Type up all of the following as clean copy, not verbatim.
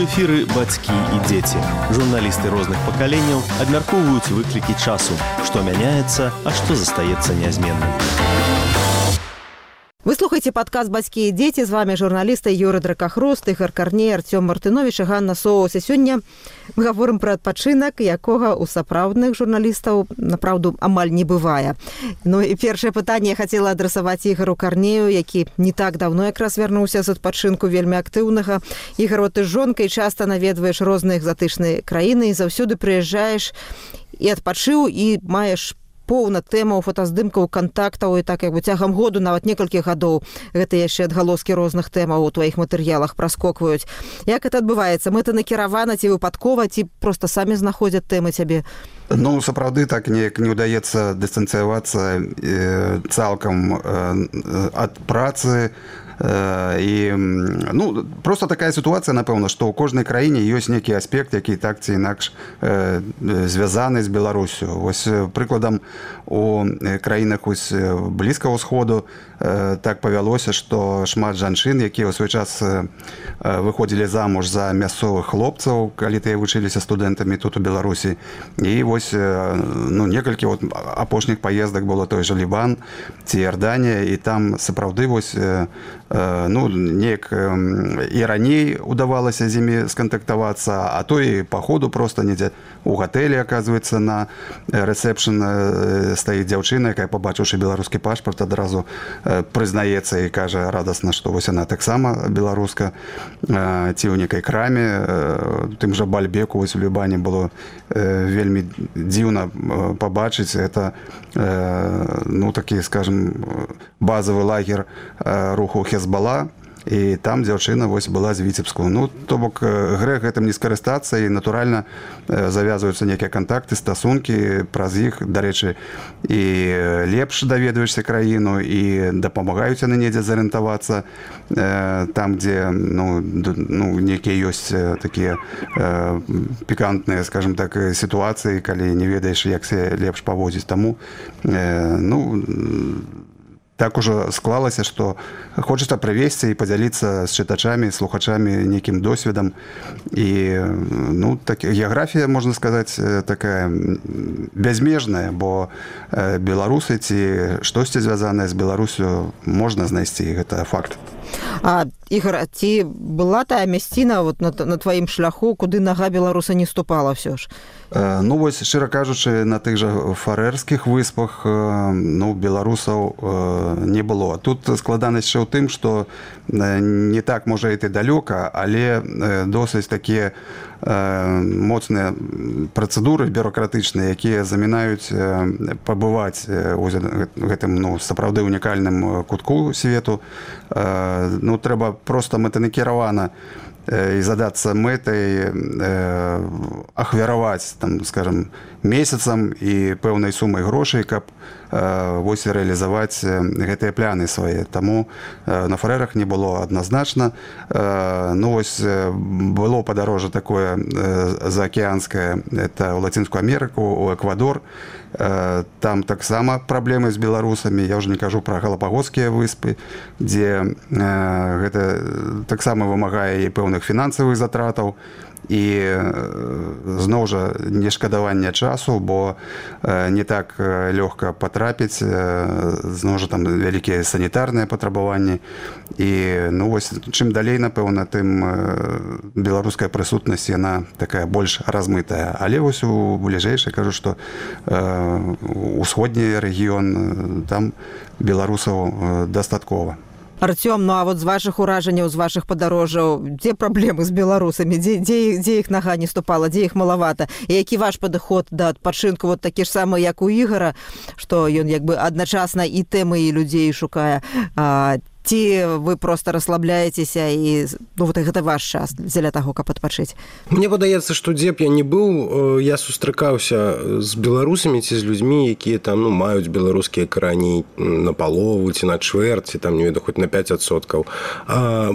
эфіры бацькі і дзеці. Журналісты розных пакаленняў абмяркоўваюць выклікі часу, што мяняецца, а што застаецца нязменным. Вы слухаеце падкаст «Бацькі і дзеці». З вами журналісты Юрый Дракахруст, Ігор Карней, Артём Мартынович і Ганна Соус. І сёння мы гаворым пра адпачынак, якога ў сапраўдных журналістаў, напраўду, амаль не бывае. Ну і першае пытанне я хацела адрасаваць Ігору Карнею, які не так даўно якраз вярнуўся з адпачынку вельмі актыўнага. Ігор, ты з жонкай часта наведваеш розныя экзатычныя краіны і заўсёды прыязджаеш і адпачыў, і маеш поўна тэмаў, фотаздымкаў, кантактаў, і так як бы цягам году, нават некалькіх гадоў, гэта яшчэ адгалоскі розных тэмаў у тваіх матэрыялах праскокваюць. Як гэта адбываецца? Мэтанакіравана ці выпадкова, ці проста самі знаходзяць тэмы цябе? Ну, сапраўды, так неяк не ўдаецца дыстанцыявацца цалкам ад працы. І, ну, просто такая сітуацыя, напэўна, што ў кожнай краіне ёсць нейкі аспект, які так ці інакш звязаны з Беларусю. Вось прыкладам, у краінах Блізкага ўсходу так павялося, што шмат жанчын, якія ў свой час выходзілі замуж за мясцовых хлопцаў, калі тыя вучыліся студэнтамі тут у Беларусі. І вось, ну, некалькі апошніх паездак было той жа Лібан ці Іорданія, і там сапраўды вось, ну, неяк і раней удавалася з імі скантактавацца, а то і па ходу проста недзе у гатэлі, аказваецца, на рэсепшн стаіць дзяўчына, якая, пабачыўшы беларускі пашпарт, адразу прызнаецца і кажа радасна, што вось яна таксама беларуска, ці ў некай краме. Тым жа Бальбеку вось у Лібане было вельмі дзіўна пабачыць. Это, ну, такі, скажем, базавы лагер руху Хезбала, і там дзяўчына вось была з Віцебску. Ну, то бок грэх гэтым не скарыстацца, і натуральна завязваюцца нейкія кантакты, стасункі праз іх. Дарэчы, і лепш даведваешся краіну, і дапамагаюць яны недзе зарыентавацца там, дзе, ну, нейкія ёсць такія пікантныя, скажем так, сітуацыі, калі не ведаеш, як се лепш паводзіць. Таму, ну, так ужо склалася, што хочацца прывесці і падзяліцца з чытачамі, слухачамі нейкім досведам. І, ну, так, геаграфія, можна сказаць, такая бязмежная, бо беларусы ці штосьці звязанае з Беларусю можна знайсці, гэта факт. А, Ігор, ці была тая мясціна вот на тваім шляху, куды нага беларуса не ступала ўсё ж? Ну, вось, шчыра кажучы, на тых жа Фарэрскіх выспах, ну, беларусаў не было. Тут складанасць яшчэ ў тым, што не так можа іти далёка, але досыць такія моцныя працэдуры бюрократычныя, якія замінаюць пабываць у гэтым, ну, сапраўды унікальным кутку свету. Ну, трэба проста мэтанакіравана і задацца мэтай ахвяраваць, там, скажем, месяцам і пэўнай сумай грошай, каб вось рэалізаваць гэтыя пляны свае. Таму на Фарэрах не было адназначна. Ну, вось было падарожжа такое заакеанскае, это ў Лацінскую Амерыку, у Эквадор. Там таксама праблемы з беларусамі. Я ўжо не кажу пра Галапагоскія выспы, дзе гэта таксама вымагае і пэўных фінансавых затратаў, і зноў жа нешкадавання часу, бо не так лёгка патрапіць, зноў жа там вялікія санітарныя патрабаванні. І, ну, вось, чым далей, напэўна, тым беларуская прысутнасць, яна такая больш размытая. Але вось у бліжэйшай кажу, што усходні рэгіён, там беларусаў дастаткова. Артём, ну а вот з вашых уражанняў, з вашых падарожжаў, дзе праблемы з беларусамі? Дзе іх нага не ступала, дзе іх малавата? І які ваш падыход да адпачынку, вот такі ж самы, як у Ігора, што ён як бы адначасна і тэмы, і людзей шукае? Ці вы проста расслабляецеся і, ну, вот гэта ваш час дзеля таго, каб адпачыць? Мне падаецца, што дзе б я не быў, я сустракаўся з беларусамі ці з людзьмі, якія там, ну, маюць беларускія карані на палову ці на чвэрць, ці там, не ведаю, хоць на 5%.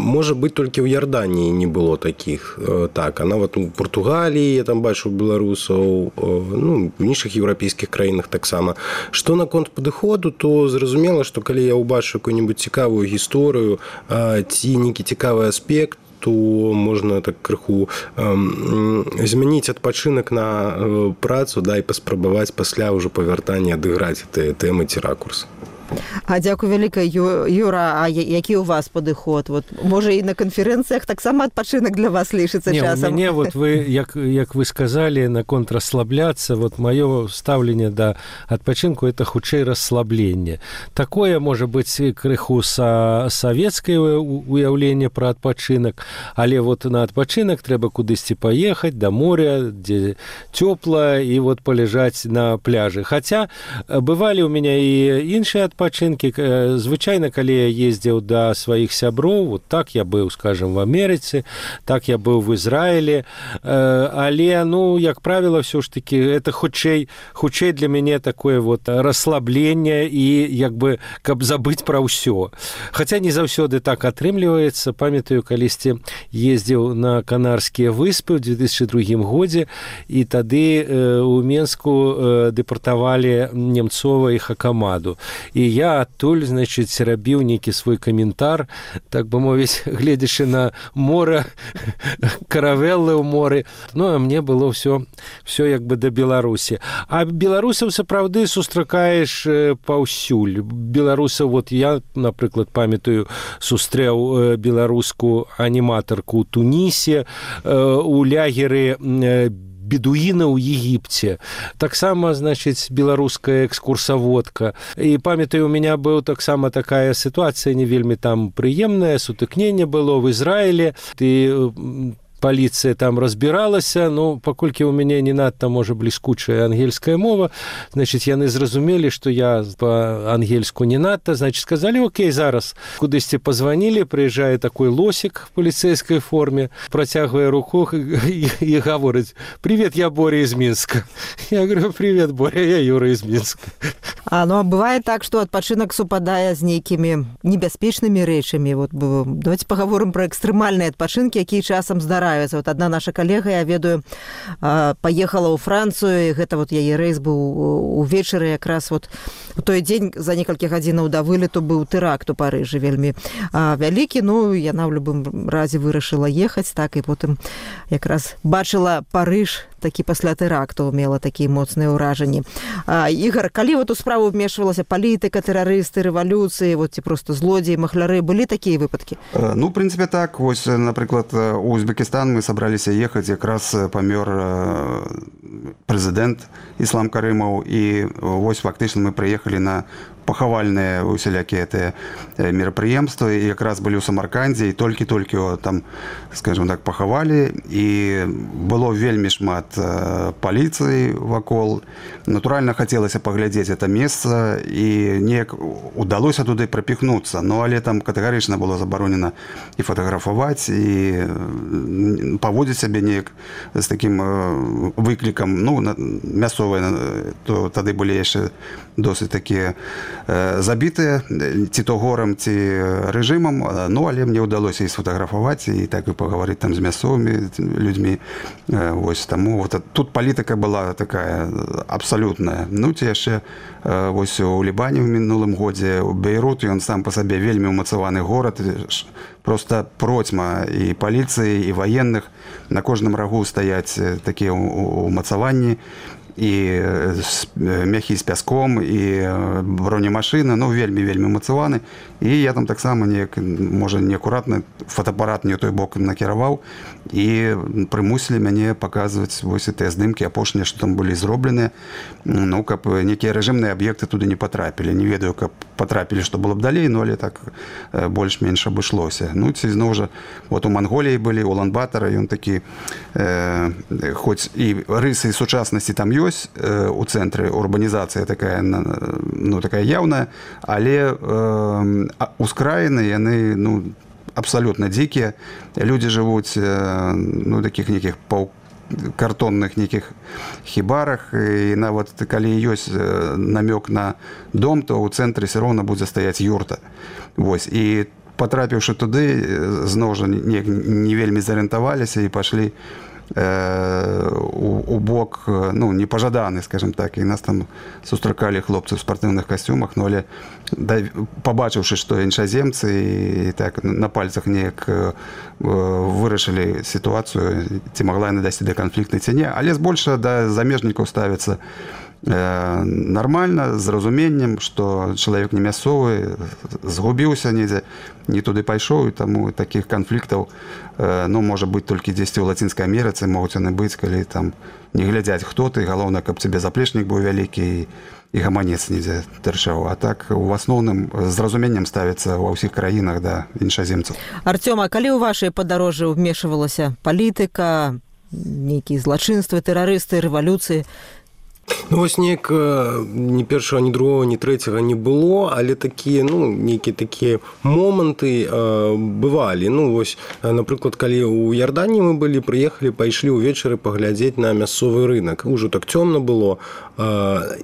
Можа быць, толькі ў Іорданіі не было такіх. Так, а нават у Партугаліі я там бачыў беларусаў, ну, в іншых еўрапейскіх краінах таксама. Што наконт падыходу, то зразумела, што калі я ўбачу какую-нибудь цікавую гісторыю ці нейкі цікавы аспект, то можна так крыху змяніць адпачынак на працу, да, і паспрабаваць пасля ўжо павяртання адыграць тыя тэмы ці ракурс. А дзякуй вялікай, Юра, а які ў вас падыход? Вот, можа, і на канферэнцыях таксама адпачынак для вас лічыцца часам? У мяне, вот вы, як вы сказалі, наконт расслабляцца, вот маё стаўленне да адпачынку – это хутчэй расслабленне. Такое, можа быць, крыху савецкае уяўленне пра адпачынак, але вот на адпачынак трэба кудысьці паехаць, да моря, дзе цёпла, і вот паляжаць на пляжы. Хаця бывалі ў мяне і іншыя адпачынкі. Звычайна, калі я ездзіў да сваіх сяброў, вот так я быў, скажем, в Амерыцы, так я быў в Ізраілі, але, ну, як правіла, ўсё ж таки, это хутчэй для мяне такое вот расслабленне і, як бы, каб забыць пра ўсё. Хаця не заўсёды так атрымліваецца. Памятаю, калісьці ездзіў на Канарскія выспы ў 2002 годзе, і тады у Менску дэпартавалі Немцова і Хакамаду. І я адтуль, значыць, рабіў нейкі свой каментар, так бы мовіць, гледзячы на мора, каравеллы ў моры. Ну, а мне было ўсё як бы да Беларусі. А беларусаў сапраўды сустракаеш паўсюль. Беларусаў, вот я, напрыклад, памятаю, сустрэў беларускую аніматарку ў Тунісе, у лягеры бедуіна ў Егіпце. Таксама, значыць, беларуская экскурсаводка. І памятаю, у меня быў таксама такая сітуацыя не вельмі там прыемная, сутыкненне было в Ізраілі. Паліцыя там разбіралася, ну, паколькі ў мяне не надта, можа, бліскучая ангельская мова, значыць, яны зразумелі, што я па-ангельску не надта, значыць, сказалі, окей, зараз кудысьці пазванілі, прыязджае такой лосік в паліцэйскай форме, працягвае руку і гаворыць: «Привет, я Боря из Мінска». Я говорю: «Привет, Боря, я Юра из Мінска». А бывае так, што адпачынак супадае з нейкімі небяспечнымі рэчамі. Вот, давайте пагаворым пра экстрэмальныя адпачынкі, якія часам здараюцца. Вот одна наша калега, я ведаю, паехала ў Францыю, і гэта вот яе рэйс быў увечары, якраз вот у той дзень за некалькі гадзінаў да вылету быў тэракт у Парыжы вельмі вялікі. Ну, яна ў любым разе вырашыла ехаць, так, і потым якраз бачыла Парыж такі пасля тэракту, мела такія моцныя ўражанні. Ігар, калі вот у справу вмешвалася палітыка, тэрарысты, рэвалюцыі, вот ці проста злодзеі, махляры, былі такія выпадкі? Ну, в прынцыпе, так. Вось, напрыклад, у Узбекістан мы сабраліся ехаць, якраз памёр прэзідэнт Іслам Карымаў, і вось фактычна мы прыехалі на пахавальныя усялякія гэтыя мерапрыемствы, і якраз былі ў Самаркандзе, і толькі-толькі там, скажем так, пахавалі, і было вельмі шмат паліцыі вакол. Натуральна, хацелася паглядзець гэта месца, і неяк удалося туды прапіхнуцца, но але там катэгарычна было забаронена і фатаграфаваць, і паводзіць сябе неяк з такім выклікам, ну, мясцовыя, то тады былі яшчэ досыць такія забітыя ці то горам, ці рэжымам, ну, але мне ўдалося і сфотаграфаваць, і так і пагаварыць там з мясцовымі людзьмі. Вось, таму вот тут палітыка была такая абсалютная. Ну, ці яшчэ вось у Лібане ў мінулым годзе, у Бейрут, ён сам па сабе вельмі ўмацаваны горад, просто процьма і паліцыі, і ваенных. На кожным рагу стаяць такія ўмацаванні, і мяхі з пяском, і бронемашыны, ну, вельмі мацаваны. І я там таксама неяк, можа, неакуратна фотоапарат не ў той бок накіраваў, і прымусілі мяне паказваць вось тыя здымкі апошнія, што там былі зробленыя, ну, каб некія рэжымныя аб'екты туды не патрапілі. Не ведаю, каб патрапілі, што было б далей, ну, але так больш-менш абышлося. Ну, ці зноў жа, вот у Манголіі былі, у Улан-Батара, ён такі, хоць і рысы сучаснасці там ёсць, у цэнтры урбанізацыя такая, ну, такая яўная, але ускраіны, яны, ну, абсалютна дзікія. Людзі жывуць, ну, такіх нейкіх картонных нейкіх хібарах, і нават калі ёсць намёк на дом, то ў цэнтры все роўна будзе стаяць юрта. Вось, і патрапіўшы туды, зноў жа не вельмі зарыентаваліся і пашлі у бок, ну, непажаданы, скажем так, і нас там сустракалі хлопцы ў спартыўных касцюмах, ну, але пабачыўшы, што іншаземцы і так на пальцах неяк вырашылі сітуацыю, ці магла яна дайсці да канфліктнай ці не, але збольшага да замежнікаў ставіцца нормально, з разуменнем, што чалавек не мясцовы, згубіўся недзе, не туды пайшоў, і таму такіх канфліктаў, ну, можа быць толькі дзесьці ў Лацінскай Амерыцы, могуць яны быць, калі там не глядзяць, хто ты, галоўна, каб цябе заплечнік быў вялікі і гаманец недзе тырчаў. А так, у асноўным, з разуменнем ставіцца ва ўсіх краінах да іншаземцаў. Артём, а калі ў вашай падарожжы ўмешвалася палітыка, нейкія злачынствы, тэрарысты, рэвалюцыі? Ну, вось неяк ні першага, ні другога, ні трэцяга не было, але такія, ну, нейкія такія моманты бывалі. Ну, вось, напрыклад, калі ў Ярдані мы былі, прыехалі, пайшлі ўвечары паглядзець на мясцовы рынок. Ужо так цёмна было.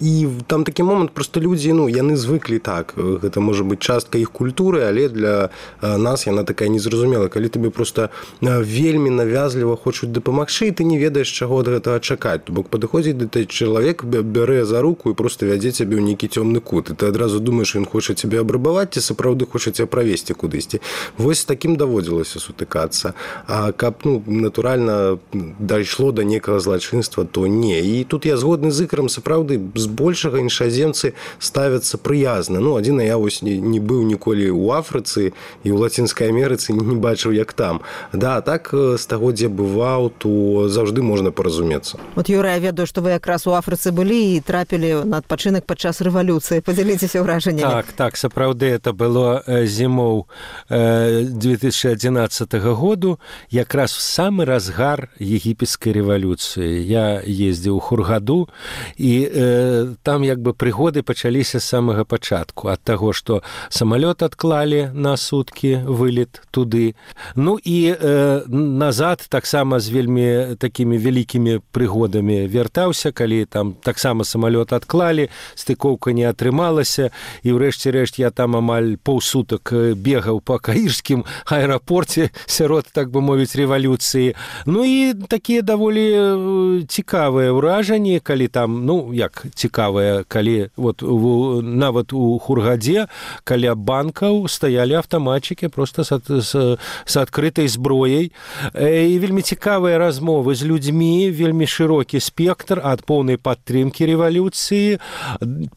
І там такі момант, проста людзі, ну, яны звыклі так. Гэта можа быць частка іх культуры, але для нас яна такая незразумелая. Калі тебе проста вельмі навязліва хочуць дапамагчы, і ты не ведаеш, чаго ад гэтага чакаць. То бок падыходзіць да той чалавек, бярэ за руку і просто вядзе цябе ў нейкі цёмны кут. І ты адразу думаеш, ён хоча цябе абрабаваць, ці сапраўды хоча цябе правесці кудысьці. Вось такім даводзілася сутыкацца. А каб, ну, натуральна дайшло да некага злачынства, то не. І тут я згодны з Ікарам, сапраўды, збольшага іншаземцы ставяцца прыязна. Ну, адзіна, я вось не быў ніколі ў Афрыцы і ў Лацінскай Амерыцы не бачыў, як там. Да, так, з таго, дзе бываў, то заўжды можна паразумецца. Вот, Юра, я ведаю, што вы якраз у Афрыцы былі і трапілі на адпачынак падчас рэвалюцыі. Падзяліцеся ўражаннямі. Так, сапраўды, это было зімоў 2011 году, якраз в самы разгар егіпецкай рэвалюцыі. Я ездзіў у Хургаду, і там як бы прыгоды пачаліся з самага пачатку. Ад таго, што самалёт адклалі на суткі, вылет туды. Ну і назад таксама з вельмі такімі вялікімі прыгодамі вяртаўся, калі там таксама самалёт адклалі, стыкоўка не атрымалася, і ўрэшце рэшт я там амаль паўсутак бегаў па каірскім аэрапорце сярод, так бы мовіць, рэвалюцыі. Ну і такія даволі цікавыя ўражанні, калі там, ну, як цікавыя, калі вот нават у Хургадзе каля банкаў стаялі аўтаматчыкі проста з адкрытай зброяй. І вельмі цікавыя размовы з людзьмі, вельмі шырокі спектр ад поўнай падтрымкі рэвалюцыі,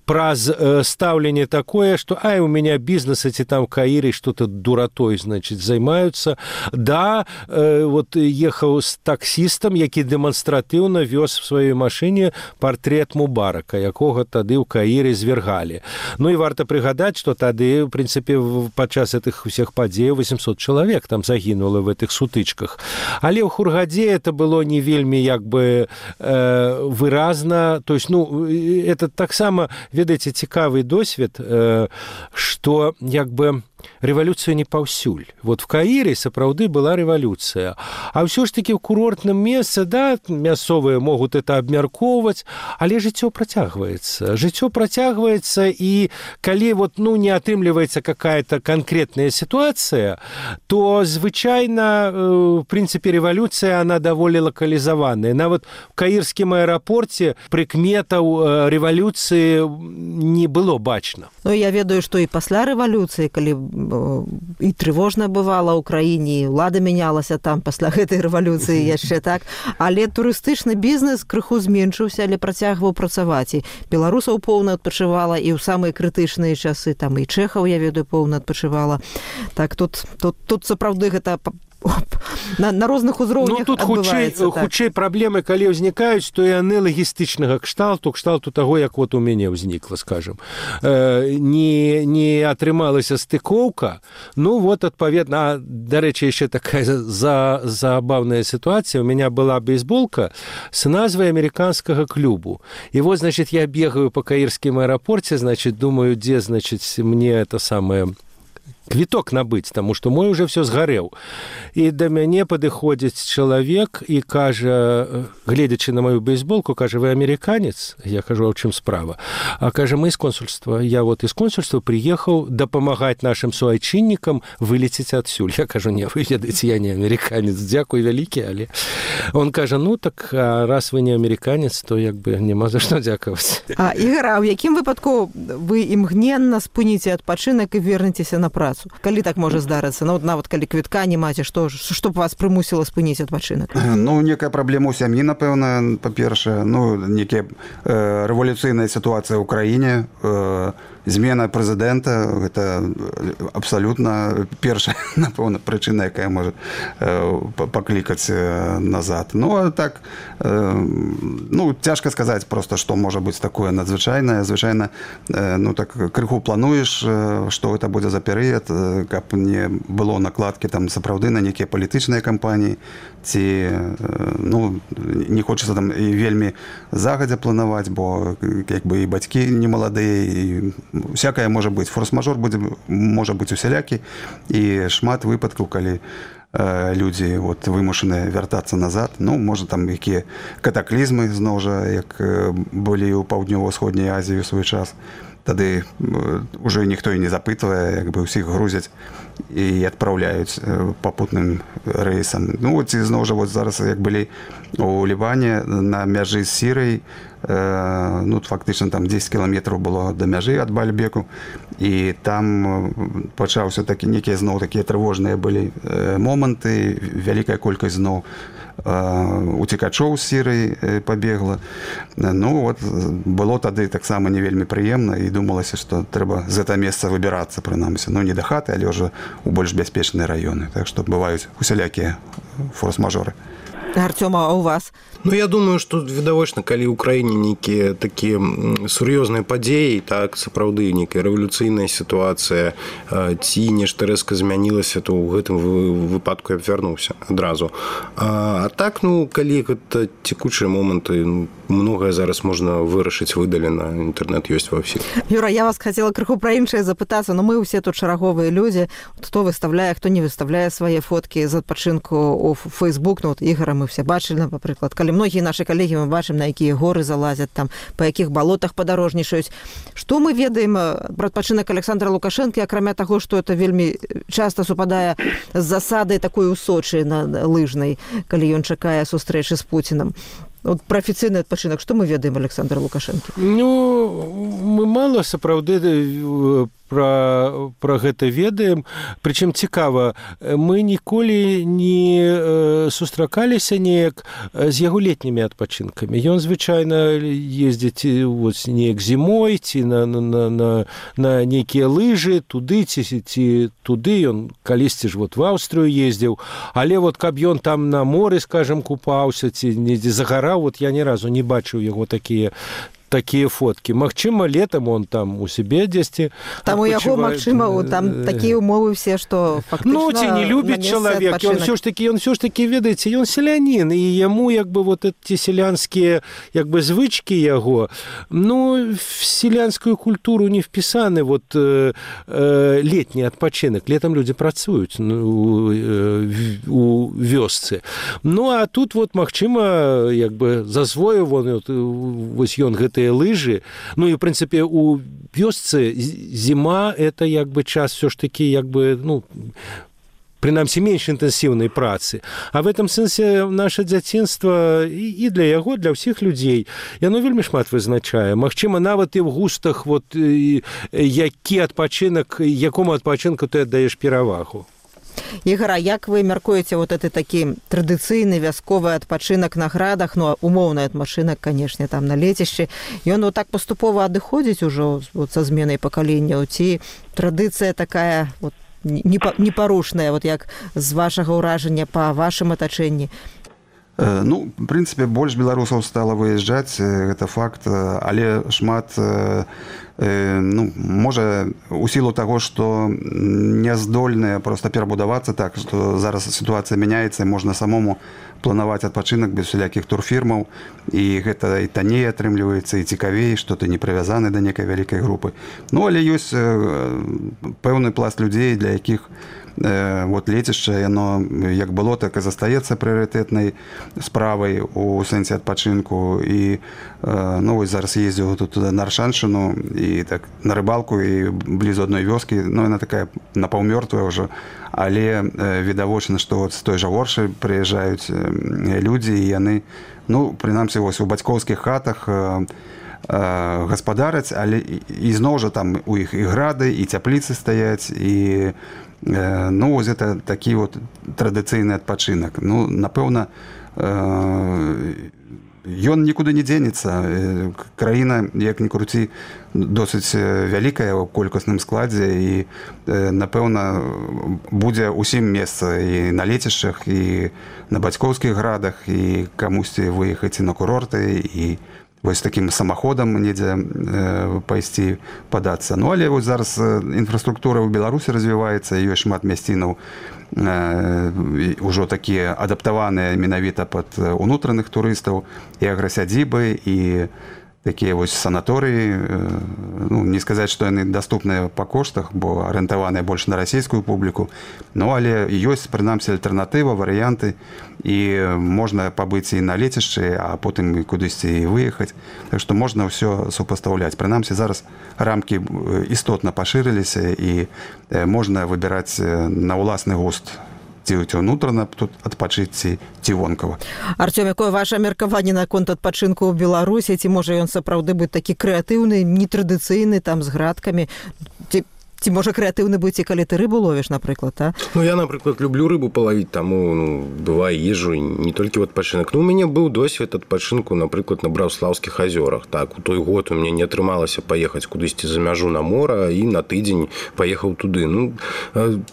праз стаўленне такое, што ай, у меня бізнесы ці там Каіры што-то дуратой, значит, займаюцца. Да, вот ехаў з таксістам, які дэманстратыўна вёз в сваёй машыне партрэт Мубарака, якога тады ў Каіры звергалі. Ну і варта прыгадаць, што тады, в прынцыпе, падчас гэтых усіх падзеяў 800 чалавек там загінула в этих сутычках. Але ў Хургадзе это было не вельмі, як бы, выразна. То есть, ну, это таксама, ведаеце, цікавы досвед, што, як бы, рэвалюцыя не паўсюль. Вот в Каіры сапраўды была рэвалюцыя. А ўсё ж такі ў курортным месцы, да, мясцовыя могуць это абмяркоўваць, але жыццё працягваецца. Жыццё працягваецца, і калі вот, ну, не атрымліваецца какая-то конкретная ситуация, то звычайна, в прынцыпе, рэвалюцыя, она даволі лакалізаваная. Нават в каірскім аэрапорце прыкметаў рэвалюцыі не было бачна. Ну, я ведаю, што і пасля рэвалюцыі, калі і трывожна бывала ў краіне, ўлада мянялася там пасля гэтай рэвалюцыі яшчэ так, але турыстычны бізнес крыху зменшыўся, але працягваў працаваць. І беларусаў поўна адпачывала, і ў самыя крытычныя часы, там і чэхаў, я ведаю, поўна адпачывала. Так, тут сапраўды гэта на розных узроўнях адбываецца. Ну, тут хутчэй праблемы, калі ўзнікаюць, то яны лагістычнага кшталту таго, як вот у мяне ўзнікла, скажем. Не атрымалася стыкоўка, ну вот, адпаведна, дарэчы, яшчэ такая забавная ситуація. У меня была бейсболка с назвай американскага клубу. И вот, значит, я бегаю по каірскім аэрапорце, значит, думаю, где, значит, мне это самое... квіток набыць, таму што мой уже все згарэў. І да мяне падыходзіць чалавек і кажа, гледзячы на маю бейсболку, кажа, вы амерыканец? Я кажу, а ў чым справа? А кажа, мы з консульства. Я вот из консульства приехаў дапамагаць нашим суайчыннікам вылецець адсюль. Я кажу, не, вы ведаеце, я не амерыканец, дзякуй вялікі, але... Он кажа, ну так, раз вы не амерыканец, то як бы няма за што дзякаваць. Ігор, а ў якім выпадку вы імгненна спыніце адпачынак і вернецеся на працу? Калі так можа здарыцца? Ну, нават калі квітка не маце, што б вас прымусіла спыніць адпачынак? Ну, некая праблема ў сям'і, напэўна, па-першае. Ну, некая рэвалюцыйная сітуацыя ў краіне, змена прэзідэнта, гэта абсалютна першая, напэўна, прычына, якая можа паклікаць назад. Ну, а так, ну, цяжка сказаць проста, што можа быць такое надзвычайнае. Звычайна, ну, так, крыху плануеш, што гэта будзе за перыяд, каб не было накладкі там сапраўды на нейкія палітычныя кампаніі, ці, ну, не хочацца там і вельмі загадзя планаваць, бо як бы і бацькі не маладыя, і всякае можа быць. Форс-мажор можа быць усялякі, і шмат выпадкаў, калі людзі вот, вымушаныя вяртацца назад. Ну, можа, там якія катаклізмы, зноў жа, як былі ў паўднёва-ўсходняй Азіі ў свой час. Тады уже ніхто і не запытвае, як бы ўсіх грузяць і адпраўляюць папутным рэйсам. Ну, ці зноў жа, вот зараз, як былі у Ліване на мяжы з Сірыяй, ну, фактычна там 10 кіламетраў было да мяжы ад Бальбеку, і там пачаўся такі, некія зноў такія трывожныя былі моманты, вялікая колькасць зноў уцекачоў з Сірыі пабегла. Ну, вот, было тады таксама не вельмі прыемна, і думалася, што трэба з гэта месца выбірацца, прынамсі. Ну, не да хаты, але ўжо ў больш бяспечныя раёны. Так што бываюць усялякія форс-мажоры. Артём, а у вас? Ну, я думаю, што відавочна, калі ў краіне нейкія такія сур'ёзныя падзеі, так, сапраўды нейкая рэвалюцыйная сітуацыя, ці нешта рэзка змянілася, то ў гэтым выпадку я б вярнуўся адразу. А так, ну, калі гэта цекучыя моманты, многае зараз можна вырашыць выдалена, інтэрнэт ёсць ва ўсіх. Юра, я вас хацела крыху пра іншае запытацца, но мы ўсе тут шараговыя людзі, хто выставляе, хто не выставляе свае фоткі з адпачынку ў Facebook, ну, вот Ігора мы все бачылі, напрыклад, калі многія нашы калегі мы бачым, на якія горы залазяць, там, па якіх балотах падарожнічаюць. Што мы ведаем пра адпачынак Александра Лукашэнкі, акрамя таго, што это вельмі часта супадае з засадай такой у Сочы на лыжнай, калі ён чакае сустрэчы з Пуцінам. Вот пра афіцыйны адпачынак, што мы ведаем Александра Лукашэнкі? Ну, мы мала сапраўды пра гэта ведаем. Прычым цікава, мы ніколі не сустракаліся неяк з яго летнімі адпачынкамі. Ён звычайна ездзіць неяк зімой, ці на нейкія лыжы, туды ці туды. Ён калісьці ж в Аўстрыю ездзіў. Але вот каб ён там на моры, скажам, купаўся, ці недзе загараў, вот я ні разу не бачыў яго такія фоткі. Магчыма, летам он там у себе дзесьці. Там у яго, магчыма, там такія умовы все, што фактычна... Ну, ці не любіць чалавек. Ён все ж таки, ведаеце, ён селянін, і яму, як бы, вот эти селянскія, як бы, звычкі яго, ну, в селянскую культуру не впісаны вот летні адпачынак. Летам людзі працуюць у вёсцы. Ну, а тут, вот, магчыма, як бы, засвоіў вось ён гэты лыжы. Ну, и, в принципе, у вёсцы зима – это, як бы, час все ж таки, як бы, ну, прынамсі, менш інтэнсіўнай працы. А в этом сэнсе наше дзяцінства і для яго, для ўсіх людзей, яно вельмі шмат вызначае. Магчыма, нават і ў густах, вот, які адпачынак, якому адпачынку ты аддаеш перавагу. Ігор, а як вы мяркуеце вот это такі традыцыйны вясковы адпачынак на градах, ну, умоўны адпачынак, канешне, там на лецішчы, ён вот так паступова адыходзіць ужо вот, са зменай пакаленняў, ці традыцыя такая вот, непарушная, вот як з вашага ўражання па вашым атачэнні? Ну, в прынцыпе, больш беларусаў стала выязджаць, гэта факт, але шмат, ну, можа, у сілу таго, што не здольныя проста перабудавацца так, што зараз сітуацыя мяняецца, можна самому планаваць адпачынак без усялякіх турфірмаў, і гэта і танней атрымліваецца, і цікавей, што ты не прывязаны да некай вялікай групы. Ну, але ёсць пэўны пласт людзей, для якіх вот лецішча, яно як было, так і застаецца прыярытэтнай справай у сэнсе адпачынку. І ну, вось зараз ездзіў тут на Аршаншыну і так на рыбалку, і блізу адной вёскі, ну, яна такая напаўмёртвая ўжо, але відавочна, што от з той жа Оршы прыязджаюць людзі, і яны, ну, прынамсі, вось у бацькоўскіх хатах гаспадараць, але ізноў жа там у іх і грады, і цяпліцы стаяць, і ну, вось гэта такі вот традыцыйны адпачынак. Ну, напэўна, ён нікуды не дзенецца. Краіна, як ні круці, досыць вялікая ў колькасным складзе, і, напэўна, будзе ўсім месца і на лецішчах, і на бацькоўскіх градах, і камусьці выехаць і на курорты, і вось такім самаходам недзе пайсці падацца. Ну, але вось зараз інфраструктура ў Беларусі развіваецца, ёсць шмат мясцінаў ужо такія адаптаваныя менавіта пад унутраных турыстаў, і аграсядзібы, і такія вось санаторыі. Ну, не сказаць, што яны даступныя па коштах, бо арыентаваныя больш на расійскую публіку, ну, але ёсць, прынамсі, альтэрнатыва, варыянты, і можна пабыць і на лецішчы, а потым кудысьці і выехаць. Так што можна ўсё супастаўляць. Прынамсі, зараз рамкі істотна пашырыліся, і можна выбіраць на ўласны густ, ці ўнутрана тут адпачыць, ці вонкава. Артём, якое ваше меркаванне наконт адпачынку ў Беларусі? Ці можа ён сапраўды быць такі крэатыўны, нетрадыцыйны, там, з градкамі? Ці можа крэатыўны быць і калі ты рыбу ловіш, напрыклад, а? Ну, я, напрыклад, люблю рыбу палавіць, таму, ну, бывае, езжу не толькі ў адпачынак. Ну, у мяне быў досвед адпачынку, напрыклад, на Браўслаўскіх азёрах. Так, у той год у мяне не атрымалася паехаць кудысьці за мяжу на мора, і на тыдзень паехаў туды. Ну,